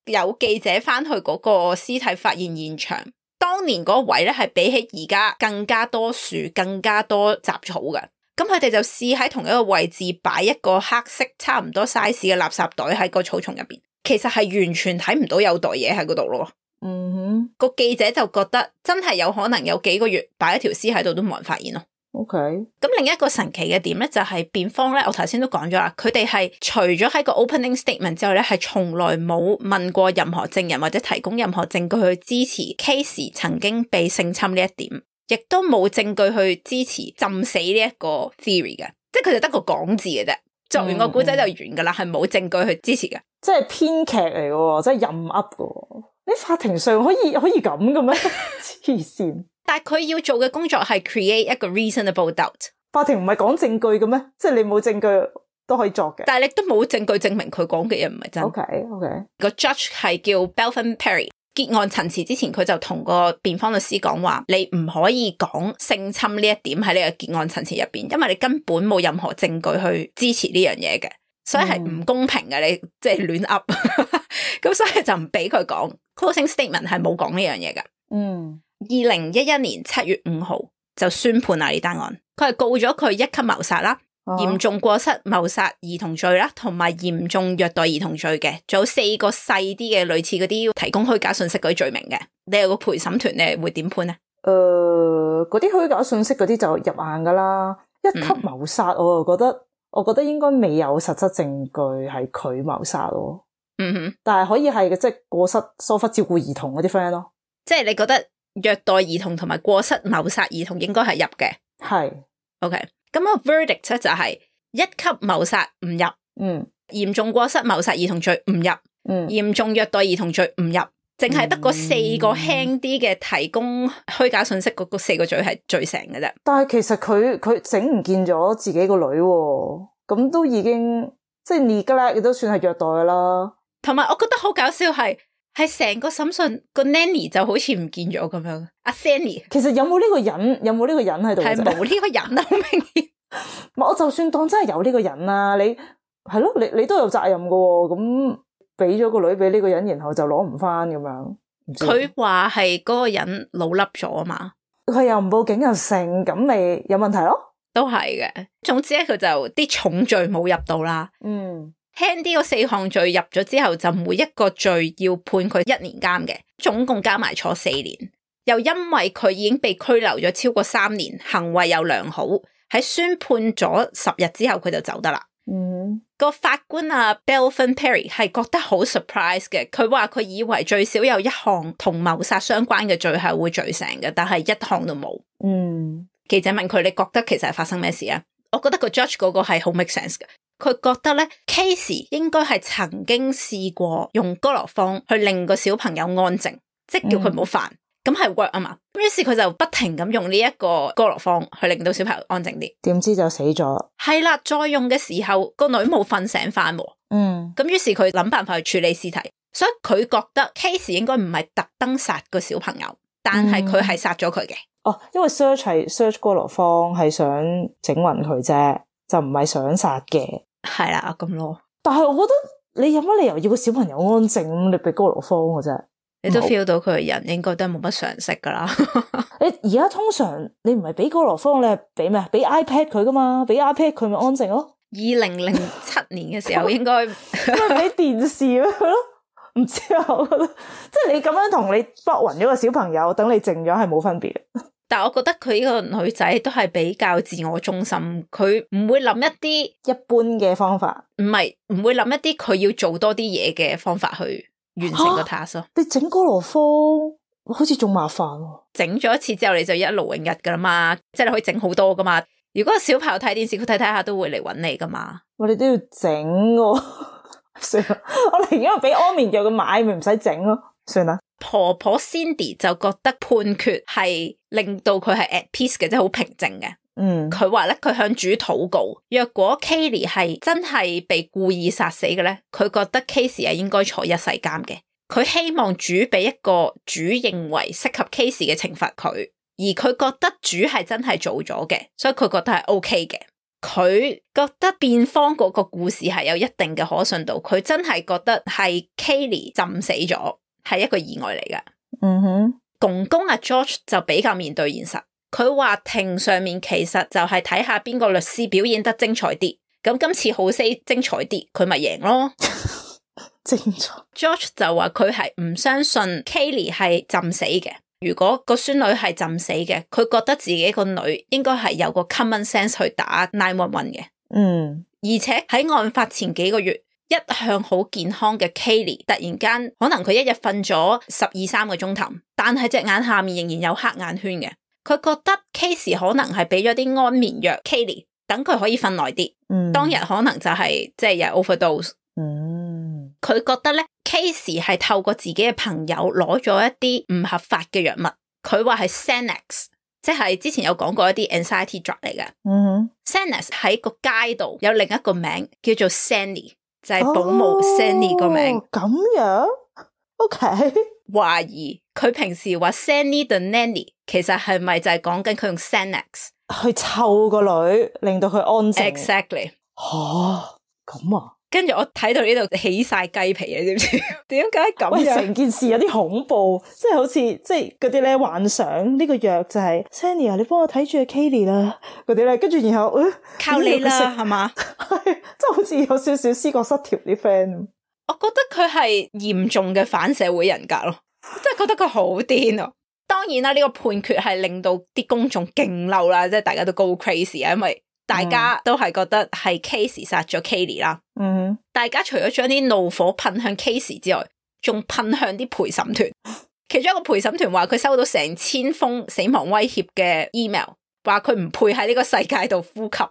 有記者翻去嗰個屍體發現現場，當年嗰位咧係比起而家更加多樹、更加多雜草嘅。咁佢哋就試喺同一個位置擺一個黑色差唔多 size 嘅垃圾袋喺個草叢入邊，其實係完全睇唔到有袋嘢喺嗰度咯。嗯哼，個記者就覺得真係有可能有幾個月擺一條屍喺度都冇人發現咯。OK，咁另一個神奇嘅點咧就係辯方咧，我頭先都講咗啦，佢哋係除咗喺個 opening statement 之外咧，係從來冇問過任何證人或者提供任何證據去支持 Casey 曾經被性侵呢一點。亦都冇證據去支持浸死呢一個 theory 嘅，即係佢就得個講字嘅啫，作完個古仔就完噶啦，係冇、嗯嗯、證據去支持嘅，即係編劇嚟嘅，即係任噏嘅。你法庭上可以可以咁嘅咩？黐線！但係佢要做嘅工作係 create 一個 reasonable doubt。法庭唔係講證據嘅咩？即係你冇證據都可以作嘅，但係你都冇證據證明佢講嘅嘢唔係真。OK OK，個 judge 係叫 Belvin Perry。結案陳詞之前，佢就同個辯方律師講話，你唔可以講性侵呢一點喺呢個結案陳詞入邊，因為你根本冇任何證據去支持呢樣嘢嘅，所以係唔公平嘅。你即係亂噏，咁所以就唔俾佢講 closing statement 係冇講呢樣嘢嘅。嗯，二零一一年七月五號就宣判啦呢單案，佢係告咗佢一級謀殺啦。嚴重過失謀殺兒童罪啦，同埋嚴重虐待兒童罪嘅，仲有四個細啲嘅類似嗰啲提供虛假信息嗰啲罪名嘅。你有個陪審團，你會點判咧？誒、呃，嗰啲虛假信息嗰啲就入硬噶啦。一級謀殺，我就覺得，嗯、我覺得應該未有實質證據係佢謀殺咯。嗯哼，但係可以係嘅，即係過失疏忽照顧兒童嗰啲 friend 咯。即係你覺得虐待兒童同埋過失謀殺兒童應該係入嘅？係 ，OK。咁個 verdict 咧就係一級謀殺唔入，嗯，嚴重過失謀殺兒童罪唔入，嗯，嚴重虐待兒童罪唔入，淨係得嗰四個輕啲嘅提供虛假信息嗰個四個罪係罪成嘅啫。但係其實佢佢整唔見咗自己個女，咁都已經即係 neglect 都算係虐待噶啦。同埋我覺得好搞笑係係成個審訊個 nanny 就好似唔見咗咁樣。阿 Sandy 其實有冇呢個人？有冇呢個人喺度？係冇呢個人啊，好明顯。我就算當真係有呢個人啊，你係咯，你你都有責任噶，咁俾咗個女俾呢個人，然後就攞唔翻咁樣。佢話係嗰個人老笠咗啊嘛，佢又唔報警又成，咁咪有問題咯？都係嘅。總之咧，佢就啲重罪冇入到啦。嗯，輕啲嗰四項罪入咗之後，就每一個罪要判佢一年監嘅，總共加埋坐四年。又因為佢已經被拘留咗超過三年，行為又良好，喺宣判咗十日之後，佢就走得啦。嗯，個法官啊 Belvin Perry 係覺得好 surprise 嘅，佢話佢以為最少有一項同謀殺相關嘅罪係會罪成嘅，但係一項都冇。嗯，記者問佢，你覺得其實係發生咩事啊？我覺得個 judge 嗰個係好 make sense 嘅，佢覺得咧 Casey 應該係曾經試過用哥羅芳去令個小朋友安靜，即係叫佢唔好煩。嗯，咁係 work 啊嘛，於是佢就不停咁用呢一個哥羅芳去令到小朋友安靜啲，點知就死咗。係啦，再用嘅時候個女冇瞓醒翻，嗯，咁於是佢諗辦法去處理屍體，所以佢覺得 Casey 應該唔係特登殺個小朋友，但係佢係殺咗佢嘅。哦，因為 search 係 search 哥羅芳係想整暈佢啫，就唔係想殺嘅。係啦，咁咯。但係我覺得你有乜理由要個小朋友安靜，你俾哥羅芳嘅啫？你都 feel 到佢個人應該都係冇乜常識噶啦。你而家通常你唔係俾哥羅芳，你係俾咩？俾 iPad 佢噶嘛？俾 iPad 佢咪安靜咯。二零零七年嘅時候應該俾電視咯，唔知啊。我覺得即係你咁樣同你搏暈咗個小朋友，等你靜咗係冇分別。但係我覺得佢呢個女仔都係比較自我中心，佢唔會諗一啲一般嘅方法，唔係唔會諗一啲佢要做多啲嘢嘅方法去完成個 task 咯。你整哥羅芳好似仲麻煩喎。整咗一次之後你就一勞永逸噶啦嘛，即係你可以整好多噶嘛。如果個小朋友睇電視，佢睇睇下都會嚟揾你噶嘛。我哋都要整喎，算啦，我寧願俾安眠藥佢買，咪唔使整咯，算啦。婆婆 Cindy 就覺得判決係令到佢係 at peace 嘅，即係好平靜嘅。嗯，佢話咧，佢向主禱告，若果 Kaylee 係真係被故意殺死嘅咧，佢覺得 Casey 係應該坐一世監嘅。佢希望主俾一個主認為適合 Casey 嘅懲罰佢，而佢覺得主係真係做咗嘅，所以佢覺得係 OK 嘅。佢覺得辯方嗰個故事係有一定嘅可信度，佢真係覺得係 Kaylee 浸死咗，係一個意外嚟㗎。嗯哼，公公阿 George 就比較面對現實，佢話庭上面其實就係睇下邊個律師表演得精彩啲，咁今次好 say 精彩啲，佢咪贏咯。精彩。George 就話佢係唔相信 Kaylee 係浸死嘅，如果個孫女係浸死嘅，佢覺得自己個女應該係有個 common sense 去打九一一嘅。嗯，而且喺案發前幾個月，一向好健康嘅 Kaylee 突然間可能佢一日瞓咗十二三個鐘頭，但係隻眼下面仍然有黑眼圈嘅。佢覺得 Casey 可能係俾咗啲安眠藥 Kaylee，等佢可以瞓耐啲。嗯，當日可能就係即係有 overdose。嗯，佢覺得咧 Casey 係透過自己嘅朋友攞咗一啲唔合法嘅藥物，佢話係 Xanax， 即係之前有講過一啲 anxiety drug 嚟嘅。嗯哼 Xanax 喺個街度有另一個名叫做 Sandy， 就係保姆 Sandy 個名。咁樣 OK， 懷疑佢平時話 Sandy the nanny， 其實係咪就係講緊佢用 Xanax 去湊個女，令到佢安靜。 Exactly。 吓，咁啊，跟住我睇到呢度起晒雞皮啊，知唔知？點解咁樣？成件事有啲恐怖，即係好似即係嗰啲咧幻想呢個藥就係 Sandy 啊，你幫我睇住 Kaylee 啦，嗰啲咧，跟住然後、呃、靠你啦，係嘛？係，即係好似有少少思覺失調啲 friend。我覺得佢係嚴重嘅反社會人格咯，即係覺得佢好癲啊！當然啦，呢、這個判決係令到啲公眾勁嬲啦，即係大家都 go crazy 啊，因為大家都係覺得係 Casey 殺咗 Kaylee 啦。嗯，大家除咗將啲怒火噴向 Casey 之外，仲噴向啲陪審團。其中一個陪審團話佢收到成千封死亡威脅嘅 email， 話佢唔配喺呢個世界度呼吸。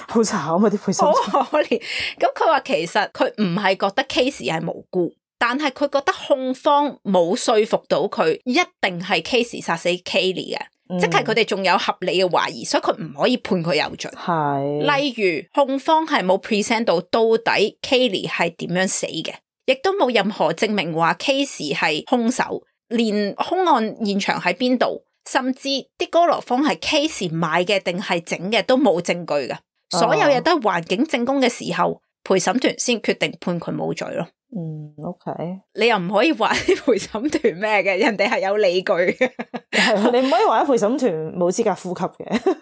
好慘啊！啲陪審團好可憐。咁佢話其實佢唔係覺得 Casey 係無辜，但係佢覺得控方冇說服到佢一定係 Casey 殺死 Kayleigh 嘅，嗯、即係佢哋仲有合理嘅懷疑，所以佢唔可以判佢有罪。係，例如控方係冇 present 到到底 Kayleigh 係點樣死嘅，亦都冇任何證明話 Casey 係兇手，連兇案現場喺邊度，甚至啲哥羅芳係 Casey 買嘅定係整嘅都冇證據嘅，所有嘢都係環境證供嘅時候，陪審團先決定判佢冇罪咯。嗯 ，OK，你又唔可以話啲陪審團咩嘅，人哋係有理據嘅。係你唔可以話啲陪審團冇資格呼吸嘅。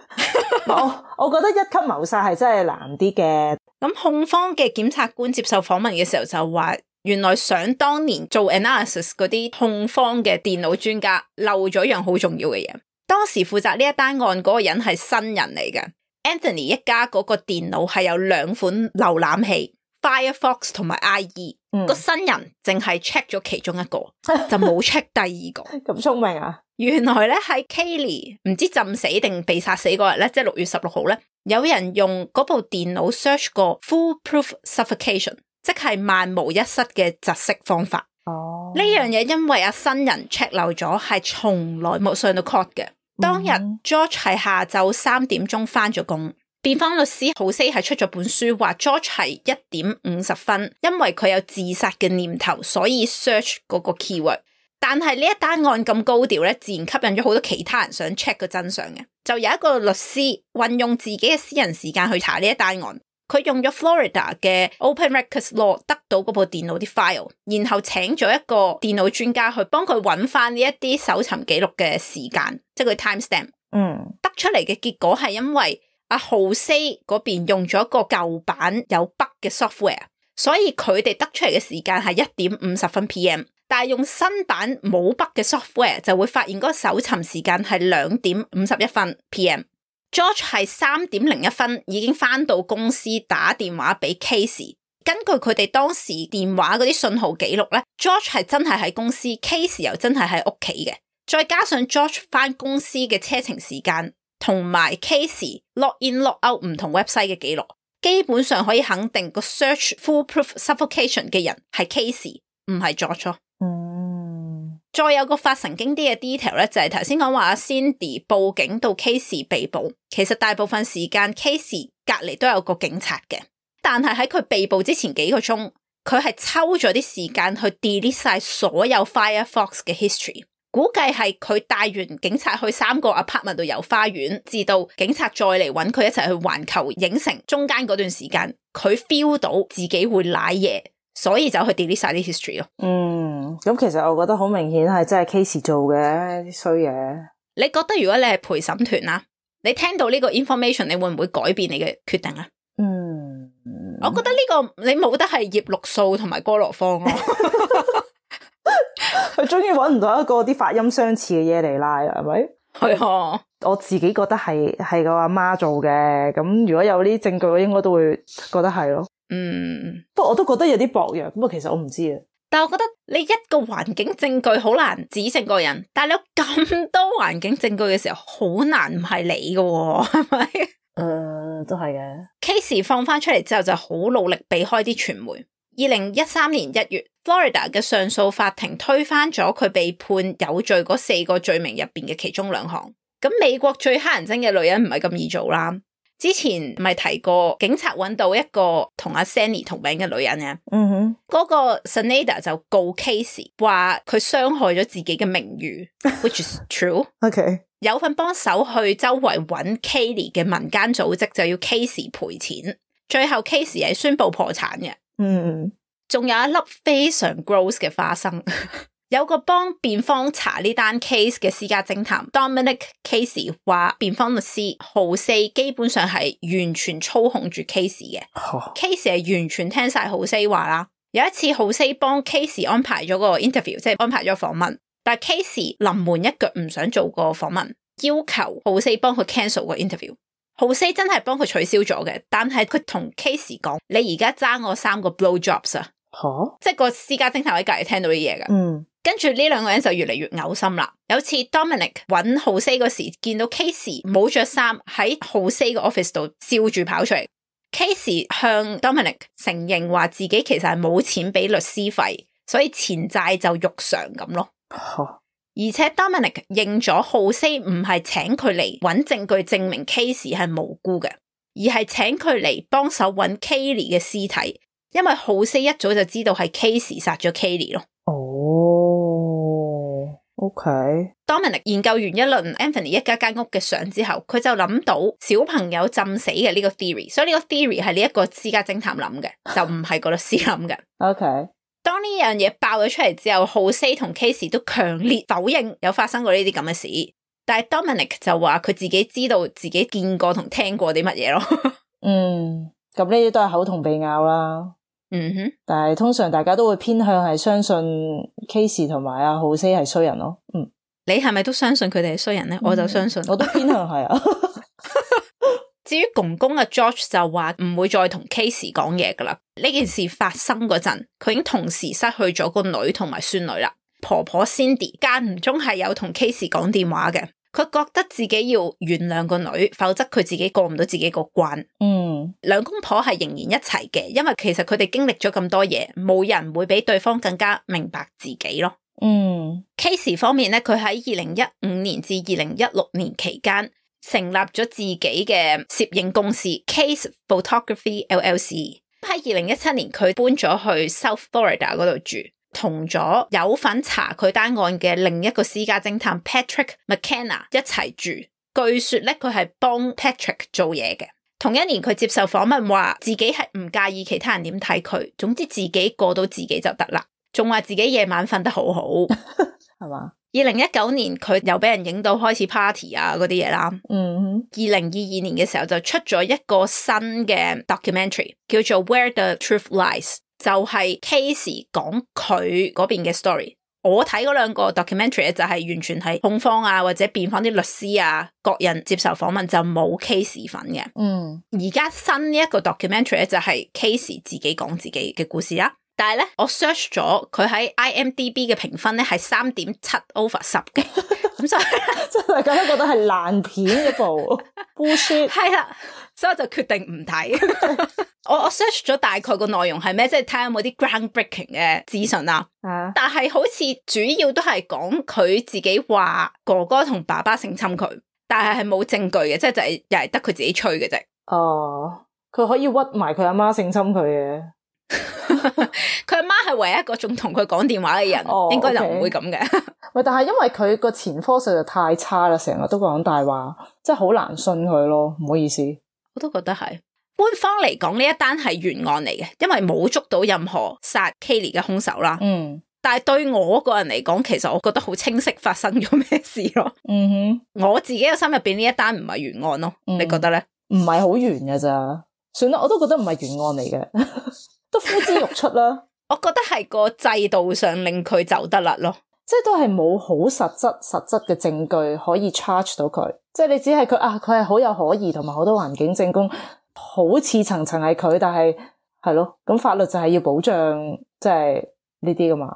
我我覺得一級謀殺係真係難啲嘅。咁控方嘅檢察官接受訪問嘅時候就話，原來想當年做 analysis 嗰啲控方嘅電腦專家漏咗一樣好重要嘅嘢。當時負責呢一單案嗰個人係新人嚟嘅。Anthony 一家嗰個電腦係有兩款瀏覽器 Firefox 同埋 I E，嗯、個新人淨係 check 咗其中一個，就冇 check 第二個。咁聰明啊！原來咧喺 Kayleigh 唔知浸死定被殺死嗰日咧，即係六月十六號咧，有人用嗰部電腦 search 過 foolproof suffocation， 即係萬無一失嘅窒息方法。哦，呢樣嘢因為阿新人 check 漏咗，係從來冇上到 court 嘅。當日 George 係下晝三點鐘翻咗工。辯方律師豪西係出咗本書，話 George 係一點五十分，因為佢有自殺嘅念頭，所以 search 嗰個 keyword。但係呢一單案咁高調咧，自然吸引咗好多其他人想 check 個真相嘅。就有一個律師運用自己嘅私人時間去查呢一單案，佢用咗 Florida 嘅 Open Records Law 得到嗰部電腦啲 file， 然後請咗一個電腦專家去幫佢揾翻呢一啲搜尋記錄嘅時間，即係佢 timestamp。嗯，得出嚟嘅結果係因為阿豪西嗰邊用咗一個舊版有 bug 嘅 software， 所以佢哋得出嚟嘅時間係一點五十分 P M， 但係用新版冇 bug 嘅 software 就會發現嗰個搜尋時間係兩點五十一分 P M。George 係三點零一分已經翻到公司打電話俾 Casey， 根據佢哋當時電話嗰啲信號記錄咧 ，George 係真係喺公司 ，Casey 又真係喺屋企嘅，再加上 George 翻公司嘅車程時間。同埋 Casey log in log out 唔同 website 嘅記錄，基本上可以肯定個 search foolproof suffocation 嘅人係 Casey， 唔係 George。嗯，再有個發神經啲嘅 detail 咧，就係頭先講話阿 Cindy 報警到 Casey 被捕，其實大部分時間 Casey 隔籬都有個警察嘅，但係喺佢被捕之前幾個鐘，佢係抽咗啲時間去 delete 晒所有 Firefox 嘅 history。估計係佢帶完警察去三個 apartment 度遊花園，至到警察再嚟揾佢一齊去環球影城中間嗰段時間，佢 feel 到自己會瀨嘢，所以就去 delete 晒啲 history 咯。嗯，咁其實我覺得好明顯係真係 Casey 做嘅啲衰嘢。你覺得如果你係陪審團啦，你聽到呢個 information， 你會唔會改變你嘅決定啊？嗯，我覺得呢個你冇得係葉綠素同埋哥羅芳咯。佢終於揾唔到一個啲發音相似嘅嘢嚟拉啦，係咪？係啊，我自己覺得係係個阿媽做嘅，咁如果有呢啲證據，我應該都會覺得係咯。嗯，不過我都覺得有啲薄弱，不過其實我唔知啊。但係我覺得你一個環境證據好難指證個人，但係你有咁多環境證據嘅時候，好難唔係你嘅，係咪？誒、呃，都係嘅。Casey 放翻出嚟之後，就好努力避開啲傳媒。二零一三年一月 Florida 嘅上訴法庭推翻咗佢被判有罪嗰四個罪名入邊嘅其中兩項。咁美國最乞人憎嘅女人唔係咁易做啦。之前咪提過警察揾到一個同阿 Sandy 同名嘅女人嘅，嗯哼，嗰個 Senada 就告 Casey 話佢傷害咗自己嘅名譽，which is true。OK， 有份幫手去周圍揾 Kayleigh 嘅民間組織就要 Casey 賠錢，最後 Casey 係宣布破產嘅。嗯，仲有一粒非常 gross 嘅花生，有個幫辯方查呢單 case 嘅私家偵探 Dominic Casey 話，辯方律師豪四基本上係完全操控住 Casey 嘅。Oh. Casey 係完全聽晒豪四話啦。有一次豪四幫 Casey 安排咗個 interview， 即係安排咗訪問，但係 Casey 臨門一腳唔想做個訪問，要求豪四幫佢 cancel 個 interview。豪西真係幫佢取消咗嘅，但係佢同 Casey 講：你而家爭我三個 blow jobs 啊！吓，即係個私家偵探喺隔籬聽到啲嘢噶。嗯，跟住呢兩個人就越嚟越嘔心啦。有次 Dominic 揾豪西嗰時，見到 Casey 冇着衫喺豪西個 office 度笑住跑出嚟。Casey 向 Dominic 承認話自己其實係冇錢俾律師費，所以錢債就肉償咁咯。哦而且 Dominic 認咗浩斯唔係請佢嚟揾證據證明 Casey 係無辜嘅，而係請佢嚟幫手揾 Kaylee 嘅屍體，因為浩斯一早就知道係 Casey 殺咗 Kaylee 咯。哦 ，OK。Dominic 研究完一輪 Anthony 一家間屋嘅相之後，佢就諗到小朋友浸死嘅呢個 theory， 所以呢個 theory 係呢一個私家偵探諗嘅，就唔係個律師諗嘅。OK。當呢樣嘢爆咗出嚟之後，浩斯同 Casey 都強烈否認有發生過呢啲咁嘅事，但係 Dominic 就話佢自己知道自己見過同聽過啲乜嘢咯。嗯，咁呢啲都係口同鼻拗啦。嗯哼，但係通常大家都會偏向係相信 Casey 同埋阿浩斯係衰人咯。嗯，你係咪都相信佢哋係衰人咧？嗯、我就相信，我都偏向係啊。至於公公阿 George 就話唔會再同 Casey 講嘢噶啦。呢件事發生嗰陣，佢已經同時失去咗個女同埋孫女啦。婆婆 Cindy 間唔中係有同 Casey 講電話嘅，佢覺得自己要原諒個女，否則佢自己過唔到自己個關。嗯，兩公婆係仍然一齊嘅，因為其實佢哋經歷咗咁多嘢，冇人會比對方更加明白自己咯。嗯 Casey 方面咧，佢喺二零一五年至二零一六年期間，成立咗自己嘅攝影公司 Case Photography L L C。喺二零一七年，佢搬咗去 South Florida 嗰度住，同咗有份查佢單案嘅另一個私家偵探 Patrick McKenna 一齊住。據說咧，佢係幫 Patrick 做嘢嘅。同一年，佢接受訪問話自己係唔介意其他人點睇佢，總之自己過到自己就得啦。仲話自己夜晚瞓得好好，係嘛？二零一九年佢又俾人影到開始 party 啊嗰啲嘢啦。嗯，二零二二年嘅時候就出咗一個新嘅 documentary 叫做 Where the Truth Lies， 就係 Casey 講佢嗰邊嘅 story。我睇嗰兩個 documentary 就係完全係控方啊或者辯方啲律師啊各人接受訪問，就冇 Casey 份嘅。嗯，而家新呢一個 documentary 就係 Casey 自己講自己嘅故事啦。但係咧，我 search 咗佢喺 I M D B 嘅評分咧係三點七 over 十嘅，咁所以即係大家都覺得係爛片一部 bullshit。係啦，所以我就決定唔睇。我我 search 咗大概個內容係咩，即係睇下有冇啲 groundbreaking 嘅資訊啦。啊，但係好似主要都係講佢自己話哥哥同爸爸性侵佢，但係係冇證據嘅，即係就係又係得佢自己吹嘅啫。哦，佢可以屈埋佢阿媽性侵佢嘅。佢阿媽係唯一一個仲同佢講電話嘅人，哦、應該就唔會咁嘅。喂，但係因為佢個前科實在太差啦，成日都講大話，真係好難信佢咯。唔好意思，我都覺得係。官方嚟講呢一單係懸案嚟嘅，因為冇捉到任何殺 Kaylee 嘅兇手啦。嗯，但係對我個人嚟講，其實我覺得好清晰發生咗咩事咯。嗯哼，我自己嘅心入邊呢一單唔係懸案咯，嗯、你覺得咧？唔係好懸㗎咋？算啦，我都覺得唔係懸案嚟嘅。都呼之欲出啦，我覺得係個制度上令佢走得甩咯，即係都係冇好實質實質嘅證據可以 charge 到佢，即係你只係佢啊，佢係好有可疑同埋好多環境證供，好似層層係佢，但係係咯，咁法律就係要保障即係呢啲噶嘛，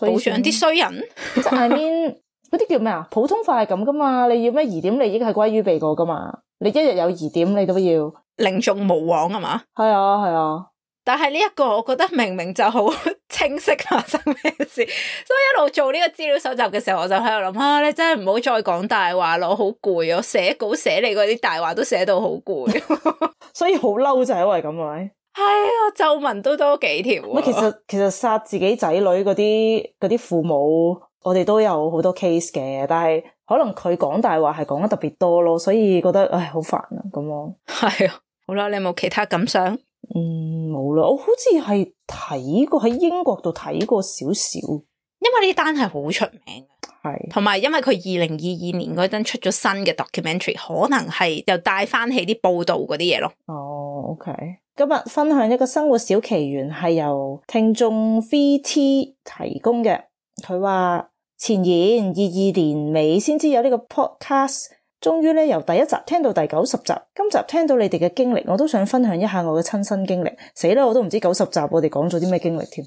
保障啲衰人，即係 I mean 嗰啲叫咩啊？普通法係咁噶嘛，你要咩疑點利益係歸於被告噶嘛，你一日有疑點你都要寧縱毋枉啊嘛，係啊係啊。但係呢一個我覺得明明就好清晰發生咩事，所以一路做呢個資料搜集嘅時候，我就喺度諗啊，你真係唔好再講大話咯，好攰啊！寫稿寫你嗰啲大話都寫到好攰，所以好嬲就係因為咁咪係啊，皺紋都多幾條啊。其實其實殺自己仔女嗰啲嗰啲父母，我哋都有好多 case 嘅，但係可能佢講大話係講得特別多咯，所以覺得唉好煩啊咁咯。係啊，好啦，你有冇其他感想？嗯，冇啦，我好似係睇過喺英國度睇過少少，因為呢單係好出名，係同埋因為佢二零二二年嗰陣出咗新嘅 documentary， 可能係又帶翻起啲報道嗰啲嘢咯。哦 ，OK， 今日分享一個生活小奇緣係由聽眾 V T 提供嘅，佢話前言二二年尾先知有呢個 podcast。終於咧由第一集聽到第九十集，今集聽到你哋嘅經歷，我都想分享一下我嘅親身經歷。死啦，我都唔知九十集我哋講咗啲咩經歷添。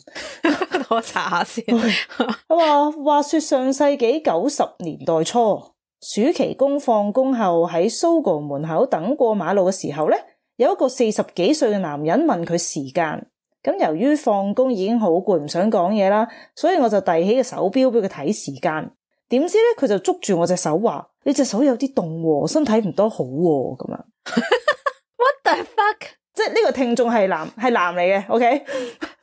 我查下先。佢話話說上世紀九十年代初，暑期工放工後喺 Sogo 門口等過馬路嘅時候咧，有一個四十幾歲嘅男人問佢時間，咁由於放工已經好攰，唔想講嘢啦，所以我就遞起個手錶俾佢睇時間。點知咧佢就捉住我隻手話：你隻手有啲凍喎，身體唔多好喎咁樣。What the fuck？ 即係呢個聽眾係男係男嚟嘅 ，OK？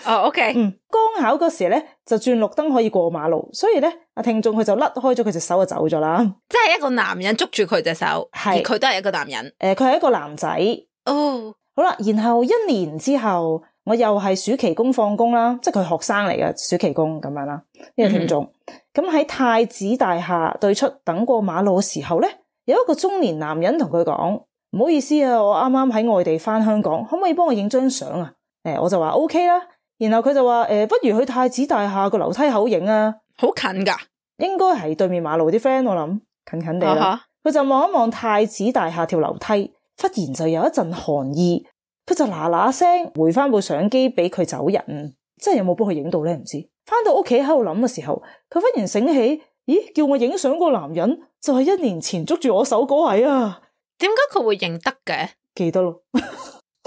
哦、oh,，OK。嗯，剛巧嗰時咧就轉綠燈可以過馬路，所以咧阿聽眾佢就甩開咗佢隻手就走咗啦。即係一個男人捉住佢隻手，而佢都係一個男人。誒，佢係一個男仔。哦，oh. 好啦，然後一年之後，我又係暑期工放工啦，即係佢學生嚟嘅暑期工咁樣啦。呢個聽眾咁喺太子大廈對出等過馬路嘅時候咧，有一個中年男人同佢講：唔好意思啊，我啱啱喺外地翻香港，可唔可以幫我影張相啊？誒，我就話 OK 啦。然後佢就話：誒，不如去太子大廈個樓梯口影啊，好近噶，應該係對面馬路啲 friend， 我諗近近地啦。佢、uh huh. 就望一望太子大廈條樓梯，忽然就有一陣寒意，佢就嗱嗱聲回翻部相機俾佢走人。真係有冇幫佢影到咧？唔知。翻到屋企喺度諗嘅時候，佢忽然醒起，咦，叫我影相個男人就係一年前捉住我手嗰位啊！點解佢會認得嘅？記得咯。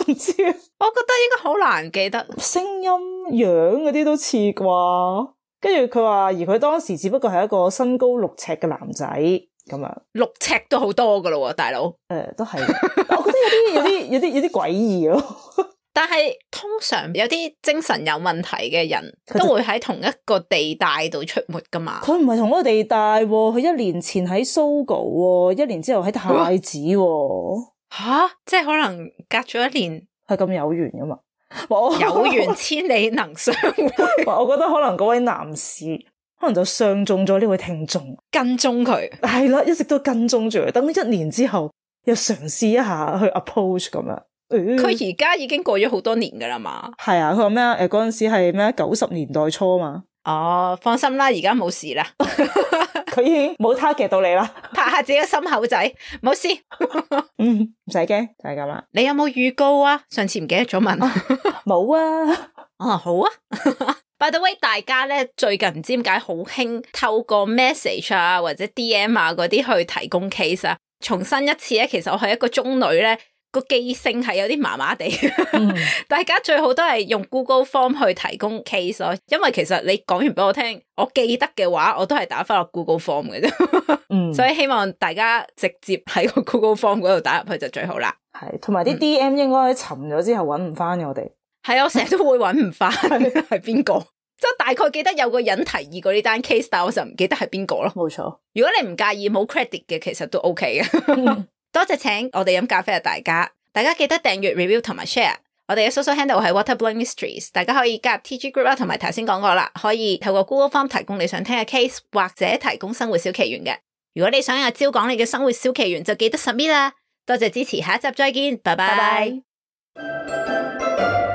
唔知啊，我覺得應該好難記得，聲音、樣嗰啲都似啩。跟住佢話，而佢當時只不過係一個身高六尺嘅男仔咁樣，六尺都好多噶咯，大佬。誒、呃，都係，我覺得有啲有啲有啲有啲詭異咯。但係通常有啲精神有問題嘅人都會喺同一個地帶度出沒噶嘛。佢唔係同一個地帶，佢一年前喺 Sogo， 一年之後喺太子。吓，即係可能隔咗一年，係咁有緣噶嘛？有緣千里能相會。我覺得可能嗰位男士可能就相中咗呢位聽眾，跟蹤佢。係啦，一直都跟蹤住佢，等一年之後又嘗試一下去 approach 咁樣。佢而家已經過咗好多年噶啦嘛。係啊，佢話咩啊？誒，嗰陣時係咩？九十年代初嘛。哦，放心啦，而家冇事啦。佢已經冇 target 到你啦，拍下自己嘅心口仔，冇事。嗯，唔使驚，就係咁啦。你有冇預告啊？上次唔記得咗問。冇啊。哦、啊，好啊。By the way， 大家咧最近唔知點解好興透過 message 啊或者 D M 啊嗰啲去提供 case 啊。重申一次咧，其實我係一個中女咧。個記性係有啲麻麻地，嗯、大家最好都係用 Google Form 去提供 case 咯，因為其實你講完俾我聽，我記得嘅話，我都係打翻落 Google Form 嘅啫，嗯、所以希望大家直接喺個 Google Form 嗰度打入去就最好啦。係，同埋啲 D M 應該沉咗之後揾唔翻我哋。係、嗯、我成日都會揾唔翻係邊個，即係大概記得有個人提議過呢單 case， 但我就唔記得係邊個咯。冇錯，如果你唔介意冇 credit 嘅，其實都 OK 嘅。嗯多謝請我哋飲咖啡嘅大家，大家記得訂閱 review 同埋 share。我哋嘅 social handle 係 Waterblowing Mysteries， 大家可以加入 T G group 啦，同埋頭先講過啦，可以透過 Google Form 提供你想聽嘅 case， 或者提供生活小奇緣嘅。如果你想阿蕉講你嘅生活小奇緣，就記得 submit 啦。多謝支持，下一集再見，拜拜。Bye bye